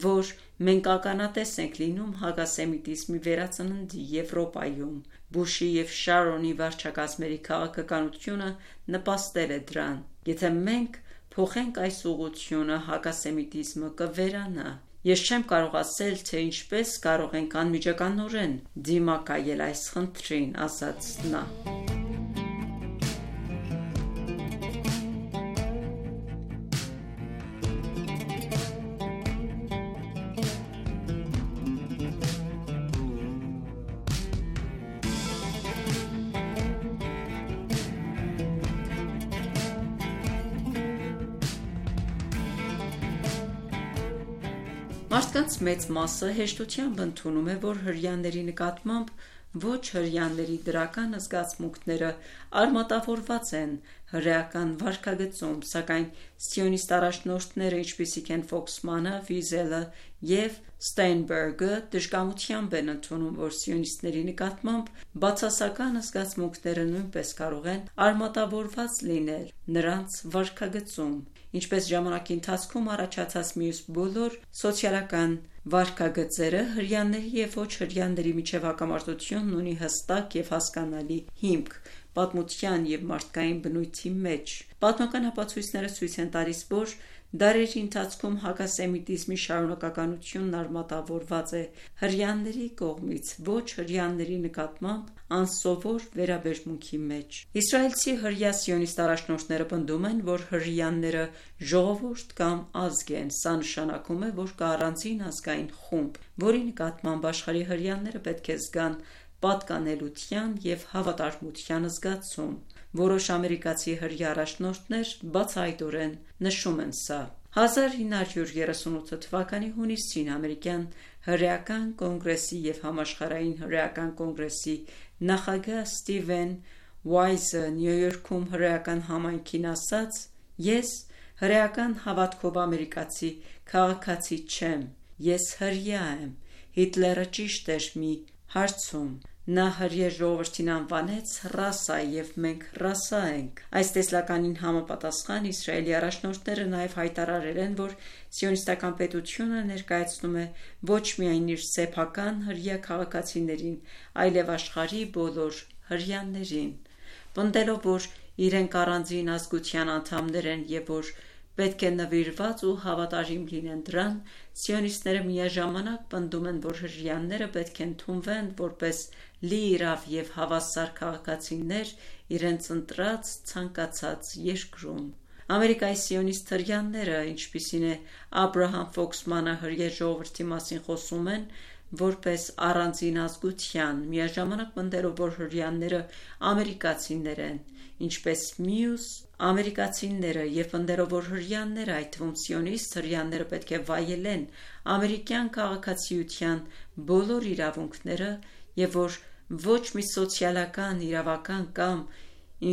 որ մենք ականատես ենք լինում հակասեմիտիզմի վերածննդի Եվրոպայում։ Բուշի և Շարոնի վարչակազմերի քաղաքականությունը նպաստել է դրան։ Եթե մենք փոխենք այս ուղղությունը, հակասեմիտիզմը կվերանա։ Ես չեմ կարող ասել, թե ինչպես կարող ենք անմիջականորեն դիմակայել այս խնդրին»,- ասաց նա։ Մարդկանց մեծ մասը հեշտությամբ ընդունում է, որ հրեաների նկատմամբ ոչ հրեաների դրական զգացմունքները արմատավորված են հրեական վարքագծում, սակայն սիոնիստ առաջնորդները, ինչպիսիք են Ֆոքսմանը, Վիզելը և Ստեյնբերգը, դժկամությամբ են ընդունում, որ սիոնիստների նկատմամբ բացասական զգացմունքները նույնպես կարող են արմատավորված լինել նրանց վարքագծում, ինչպես ժամանակի ընթացքում առաջացած մյուս բոլոր սոցիալական վարքագծերը, հրեաների և ոչ հրեաների միջև հակամարտությունն ունի հստակ և հասկանալի հիմք պատմության և մարդկային բնույթի մեջ։ Պատմական ապացույցները ցույց են տալիս, որ դարերի ընթացքում հակասեմիտիզմի շարունակականությունն արմատավորված է հրեաների կողմից ոչ հրեաների նկատմամբ անսովոր վերաբերմունքի մեջ։ Իսրայելցի հրեա սիոնիստ առաջնորդները պնդում են, որ հրեաները ժողովուրդ կամ ազգ են։ Սա նշանակում է, որ կա առանձին ազգային խումբ, որի նկատմամբ աշխարհի հրեաները պետք է զգան պատկանելության և հավատարմության զգացում։ Որոշ ամերիկացի հրեա առաջնորդներ բացահայտորեն նշում են սա։ հազար ինը հարյուր երեսունութ թվականի հունիսին ամերիկյան հրեական կոնգրեսի և համաշխարհային հրեական կոնգրեսի նախագահ Ստիվեն Վայզը Նյու Յորքում հրեական համայնքին ասաց. «Ես հրեական հավատքով ամերիկացի քաղաքացի չեմ, ես հրեա եմ։ Հիտլերը ճիշտ էր մի հարցում։ Նա հրեա ժողովրդին անվանեց ռասա, և մենք ռասա ենք»։ Այս տեսլականին համապատասխան Իսրայելի առաջնորդները նաև հայտարարել են, որ սիոնիստական պետությունը ներկայացնում է ոչ միայն իր սեփական հրեա քաղաքացիներին, այլև աշխարհի բոլոր հրեաներին, պնդելով, որ իրենք առանձին ազգության անդամներ են և որ պետք է նվիրված ու հավատարիմ լինեն դրան, սիոնիստները միաժամանակ պնդում են, որ հրեաները պետք է ընդունվեն որպես լիիրավ և հավասար քաղաքացիներ իրենց ընտրած ցանկացած երկրում։ Ամերիկայի սիոնիստ հրեաները, ինչպիսին է Աբրահամ Ֆոքսմանը, հրեա ժողովրդի մասին խոսում են որպես առանձին ազգության, միաժամանակ պնդելով, որ հրեաները ամերիկացիներ են, ինչպես մյուս ամերիկացիները, և պնդելով, որ հրեաները, այդ թվում սիոնիստ հրեաները, պետք է վայելեն ամերիկյան քաղաքացիության բոլոր իրավունքները և որ ոչ մի սոցիալական, իրավական կամ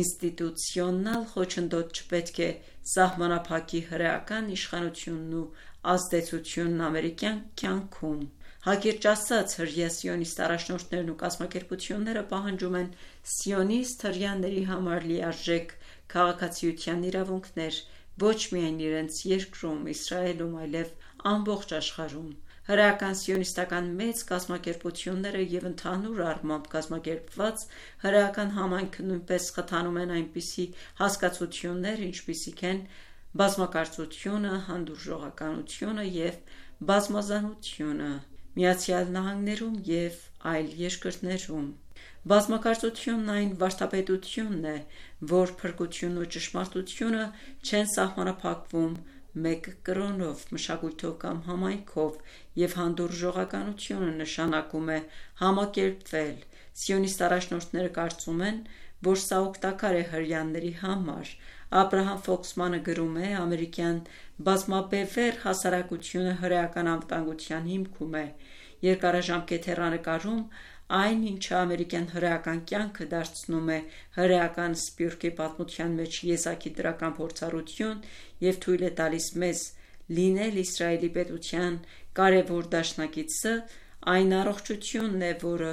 ինստիտուցիոնալ խոչընդոտ չպետք է սահմանափակի հրեական իշխանությունն ու ազդեցությունն ամերիկյան կյանքում։ Հակիրճ ասած, հրեա սիոնիստ առաջնորդներն ու կազմակերպությունները պահանջում են սիոնիստ հրեաների համար լիարժեք քաղաքացիության իրավունքներ ոչ միայն իրենց երկրում, Իսրայելում, այլև ամբողջ աշխարհում։ Հրեական սիոնիստական մեծ կազմակերպությունները և ընդհանուր առմամբ կազմակերպված հրեական համայնքը նույնպես խթանում են այնպիսի հասկացություններ, ինչպիսիք են բազմակարծությունը, հանդուրժողականությունը և բազմազանությունը Միացյալ Նահանգներում և այլ երկրներում։ Բազմակարծությունն այն վարդապետությունն է, որ փրկությունն ու ճշմարտությունը չեն սահմանափակվում մեկ կրոնով, մշակույթով կամ համայնքով, և հանդուրժողականությունը նշանակում է համակերպվել։ Սիոնիստ առաջնորդները կարծում են, որ սա օգտակար է հրեաների համար։ Աբրահամ Ֆոքսմանը գրում է. «Ամերիկյան բազմաբևեռ հասարակությունը հրեական անվտանգության հիմքում է։ Երկարաժամկետ հեռանկարում այն, ինչը ամերիկյան հրեական կյանքը դարձնում է հրեական սփյուռքի պատմության մեջ եզակի դրական փորձառություն և թույլ է տալիս մեզ լինել Իսրայելի պետության կարևոր դաշնակիցը, այն առողջությունն է, որը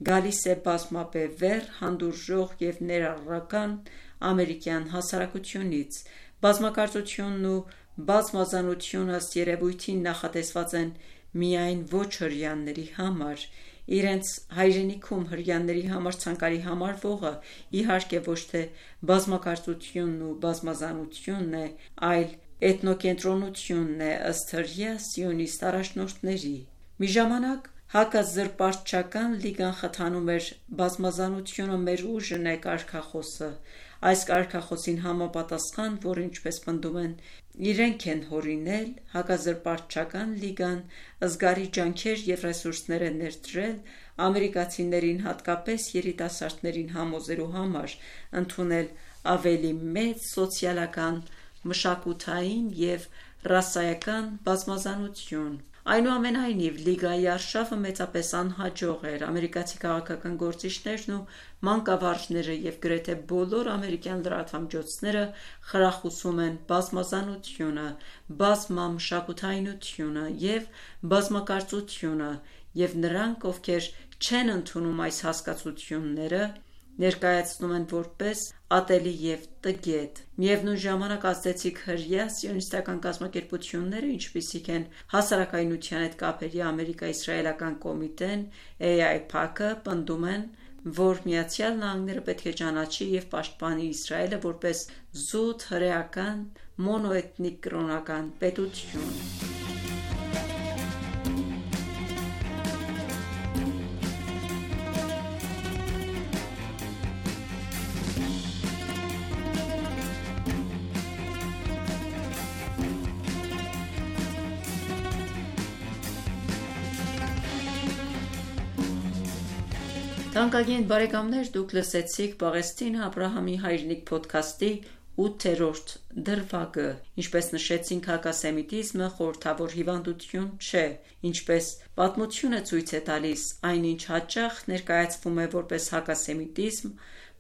գալիս է բազմաբևեռ, հանդուրժող և ներառական ամերիկյան հասարակությունից։ Բազմակարծությունն ու բազմազանությունը ըստ երևույթին նախատեսված են միայն ոչ հրեաների համար։ Իրենց հայրենիքում հրեաների համար ցանկալի համարվողը, իհարկե, ոչ թե բազմակարծությունն ու բազմազանությունն է, այլ էթնոկենտրոնությունն է, ըստ հրեա սիոնիստ առաջնորդների»։ Մի ժամանակ Հակազրպարտչական լիգան խթանում էր «Բազմազանությունը մեր ուժն է» կարգախոսը։ Այս կարգախոսին համապատասխան, որը, ինչպես պնդում են, իրենք են հորինել, Հակազրպարտչական լիգան զգալի ջանքեր և ռեսուրսներ է ներդրել ամերիկացիներին, հատկապես երիտասարդներին համոզելու համար ընդունել ավելի մեծ սոցիալական, մշակութային և ռասայական բազմազանություն։ Այնուամենայնիվ, լիգայի արշավը մեծապես անհաջող էր։ Ամերիկացի քաղաքական գործիչներն ու մանկավարժները և գրեթե բոլոր ամերիկյան լրատվամիջոցները խրախուսում են բազմազանությունը, բազմամշակութայնությունը և բազմակարծությունը, և նրանք, ովքեր չեն ընդունում այս հասկացությունները, ներկայացնում են որպես ատելի և տգետ։ Միևնույն ժամանակ, ազդեցիկ հրեա սիոնիստական կազմակերպությունները, ինչպիսիք են Հասարակայնության հետ կապերի ամերիկա-իսրայելական կոմիտեն (էյ այ փի эй ሲ), պնդում են, որ Միացյալ Նահանգները պետք է ճանաչի և պաշտպանի Իսրայելը որպես զուտ հրեական մոնոէթնիկ կրոնական պետություն։ Թանկագին բարեկամներ, դուք լսեցիք Պաղեստինը Աբրահամի հայրենիք փոդքասթի ութերորդ դրվագը։ Ինչպես նշեցինք, հակասեմիտիզմը խորհրդավոր հիվանդություն չէ, ինչպես պատմությունը ցույց է տալիս, այնինչ հաճախ ներկայացվում է որպես հակասեմիտիզմ,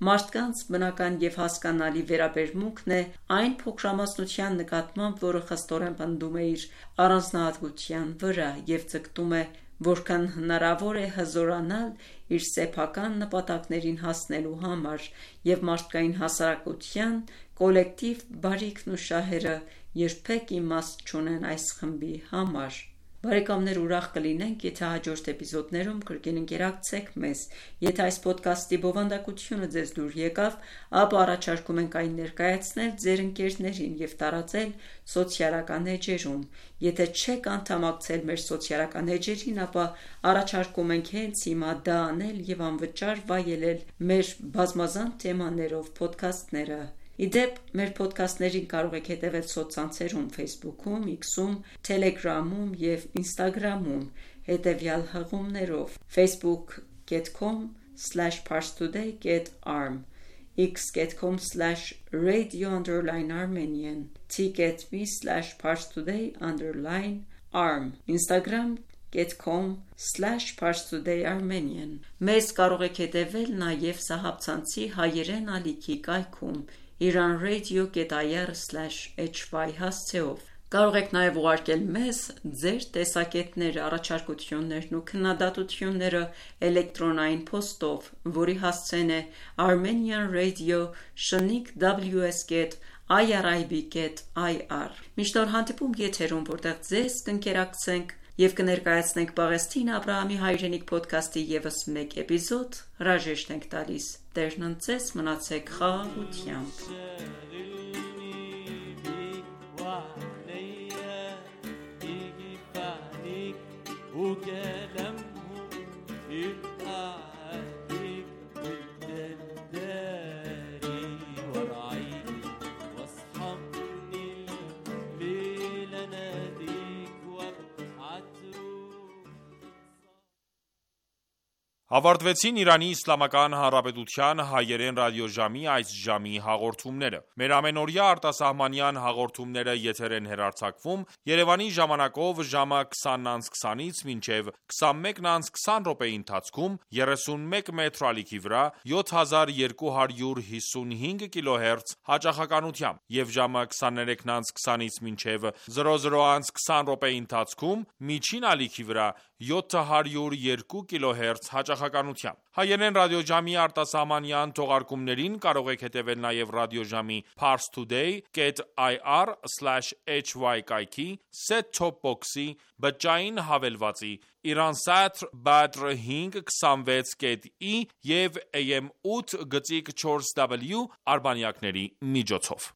մարդկանց բնական և հասկանալի վերաբերմունքն է այն փոքրամասնության նկատմամբ, որը խստորեն պնդում է իր առանձնահատկության վրա և ձգտում է որքան հնարավոր է հզորանալ իր սեփական նպատակներին հասնելու համար, և մարդկային հասարակության կոլեկտիվ բարիքն ու շահերը երբեք իմաստ չունեն այս խմբի համար։ Բարեկամներ, ուրախ կլինենք, եթե հաջորդ էպիզոդներում կրկին ընկերակցեք մեզ։ Եթե այս փոդքասթի բովանդակությունը ձեզ դուր եկավ, ապա առաջարկում ենք այն ներկայացնել ձեր ընկերներին և տարածել սոցիալական էջերում։ Եթե չեք անդամակցել մեր սոցիալական էջերին, ապա առաջարկում ենք հենց հիմա դա անել և անվճար վայելել մեր բազմազան թեմաներով փոդքասթները։ Ի դեպ, մեր փոդքասթներին կարող եք հետևել սոցցանցերում Facebook-ում, X-ում, Telegram-ում և Instagram-ում հետևյալ հղումներով՝ facebook dot com slash parstoday dot arm, x dot com slash radio underline armenian, t dot m e slash parstoday underline arm, instagram dot com slash parstoday armenian։ Մեզ կարող եք հետևել նաև Սահաբցանցի հայերեն ալիքի կայքում iranradio dot i r slash h y հասցեով։ Կարող եք նաև ուղարկել մեզ ձեր տեսակետները, առաջարկություններն ու քննադատությունները էլեկտրոնային փոստով, որի հասցեն է armenian radio շնիկ w s dot i r i b dot i r։ Մինչ նոր հանդիպում եթերում, որտեղ ձեզ կընկերակցենք և կներկայացնենք Պաղեստինը Աբրահամի հայրենիք փոդքասթի ևս մեկ էպիզոդ, հրաժեշտ ենք տալիս։ Տերն ընդ ձեզ, մնացեք խաղաղությամբ։ Ավարտվեցին Իրանի Իսլամական Հանրապետության հայերեն ռադիոժամի այս ժամի հաղորդումները։ Մեր ամենօրյա արտասահմանյան հաղորդումները եթեր են հեռարձակվում Երևանի ժամանակով ժամը քսանից քսանից մինչև քսանմեկը քսան րոպեի ընթացքում երեսունմեկ մեթր ալիքի վրա յոթ հազար երկու հարյուր հիսունհինգ կիլոհերց հաճախականությամբ և ժամը քսաներեքը քսանից մինչև զրո զրո քսան րոպեի ընթացքում միջին ալիքի վրա յոթ հարյուր երկու կիլոհերց հաճախականությամբ։ Հայերեն ռադիոժամի արտասահմանյան թողարկումներին կարող եք հետևել նաև ռադիոժամի parstoday dot i r slash h y կայքի, set-top box-ի, բջջային հավելվածի, Iransat Badr հինգ քսանվեց կետ ի և A M ութ գծիկ չորս W արբանյակների միջոցով։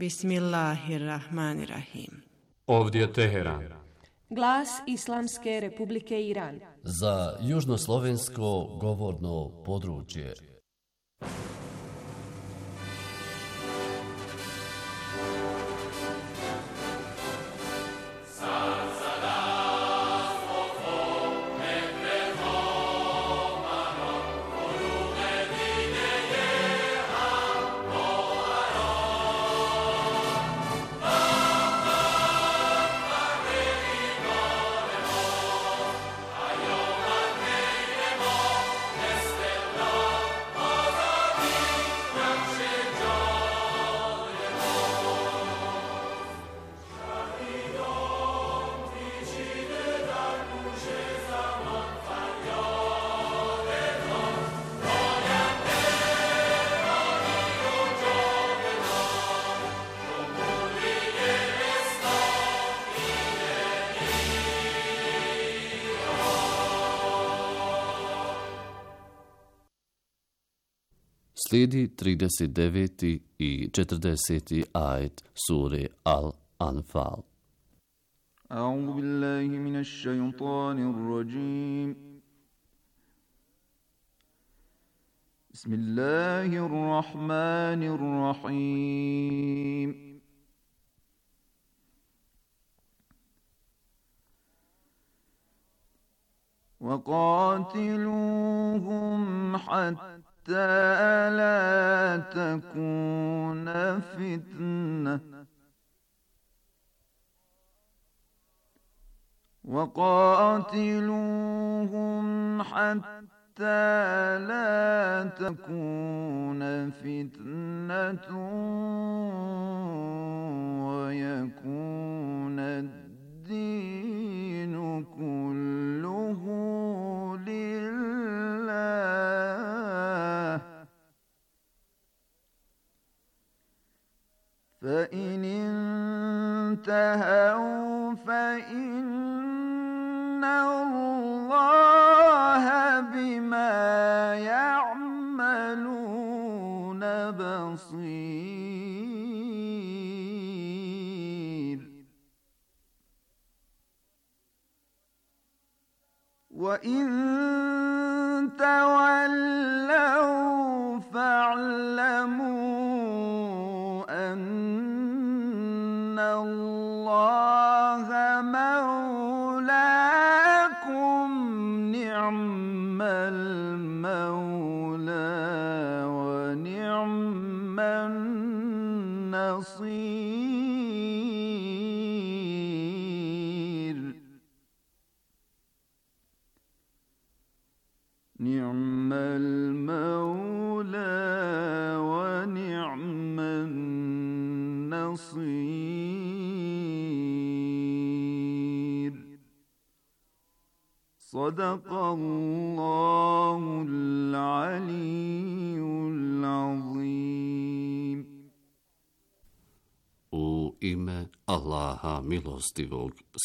Bismillahirrahmanirrahim. Ovdje Teheran. Glas Islamske Republike Iran. Za južnoslovensko govorno područje. Slijedi trideset deveti i četrdeseti ajet sure Al-Anfal. أعوذ بالله من الشيطان الرجيم بسم الله الرحمن الرحيم وقاتلوهم حتى لا تكون فتنة وقاتلوهم حتى لا تكون فتنة ويكون الدين كله لله فإن انتهوا فإن الله بما يعملون بصير وإن تولوا فاعلموا أن الله مولاكم نعم المولى ونعم النصير المولى ونعم النصير صدق الله العلي العظيم. U ime Allaha milostivog,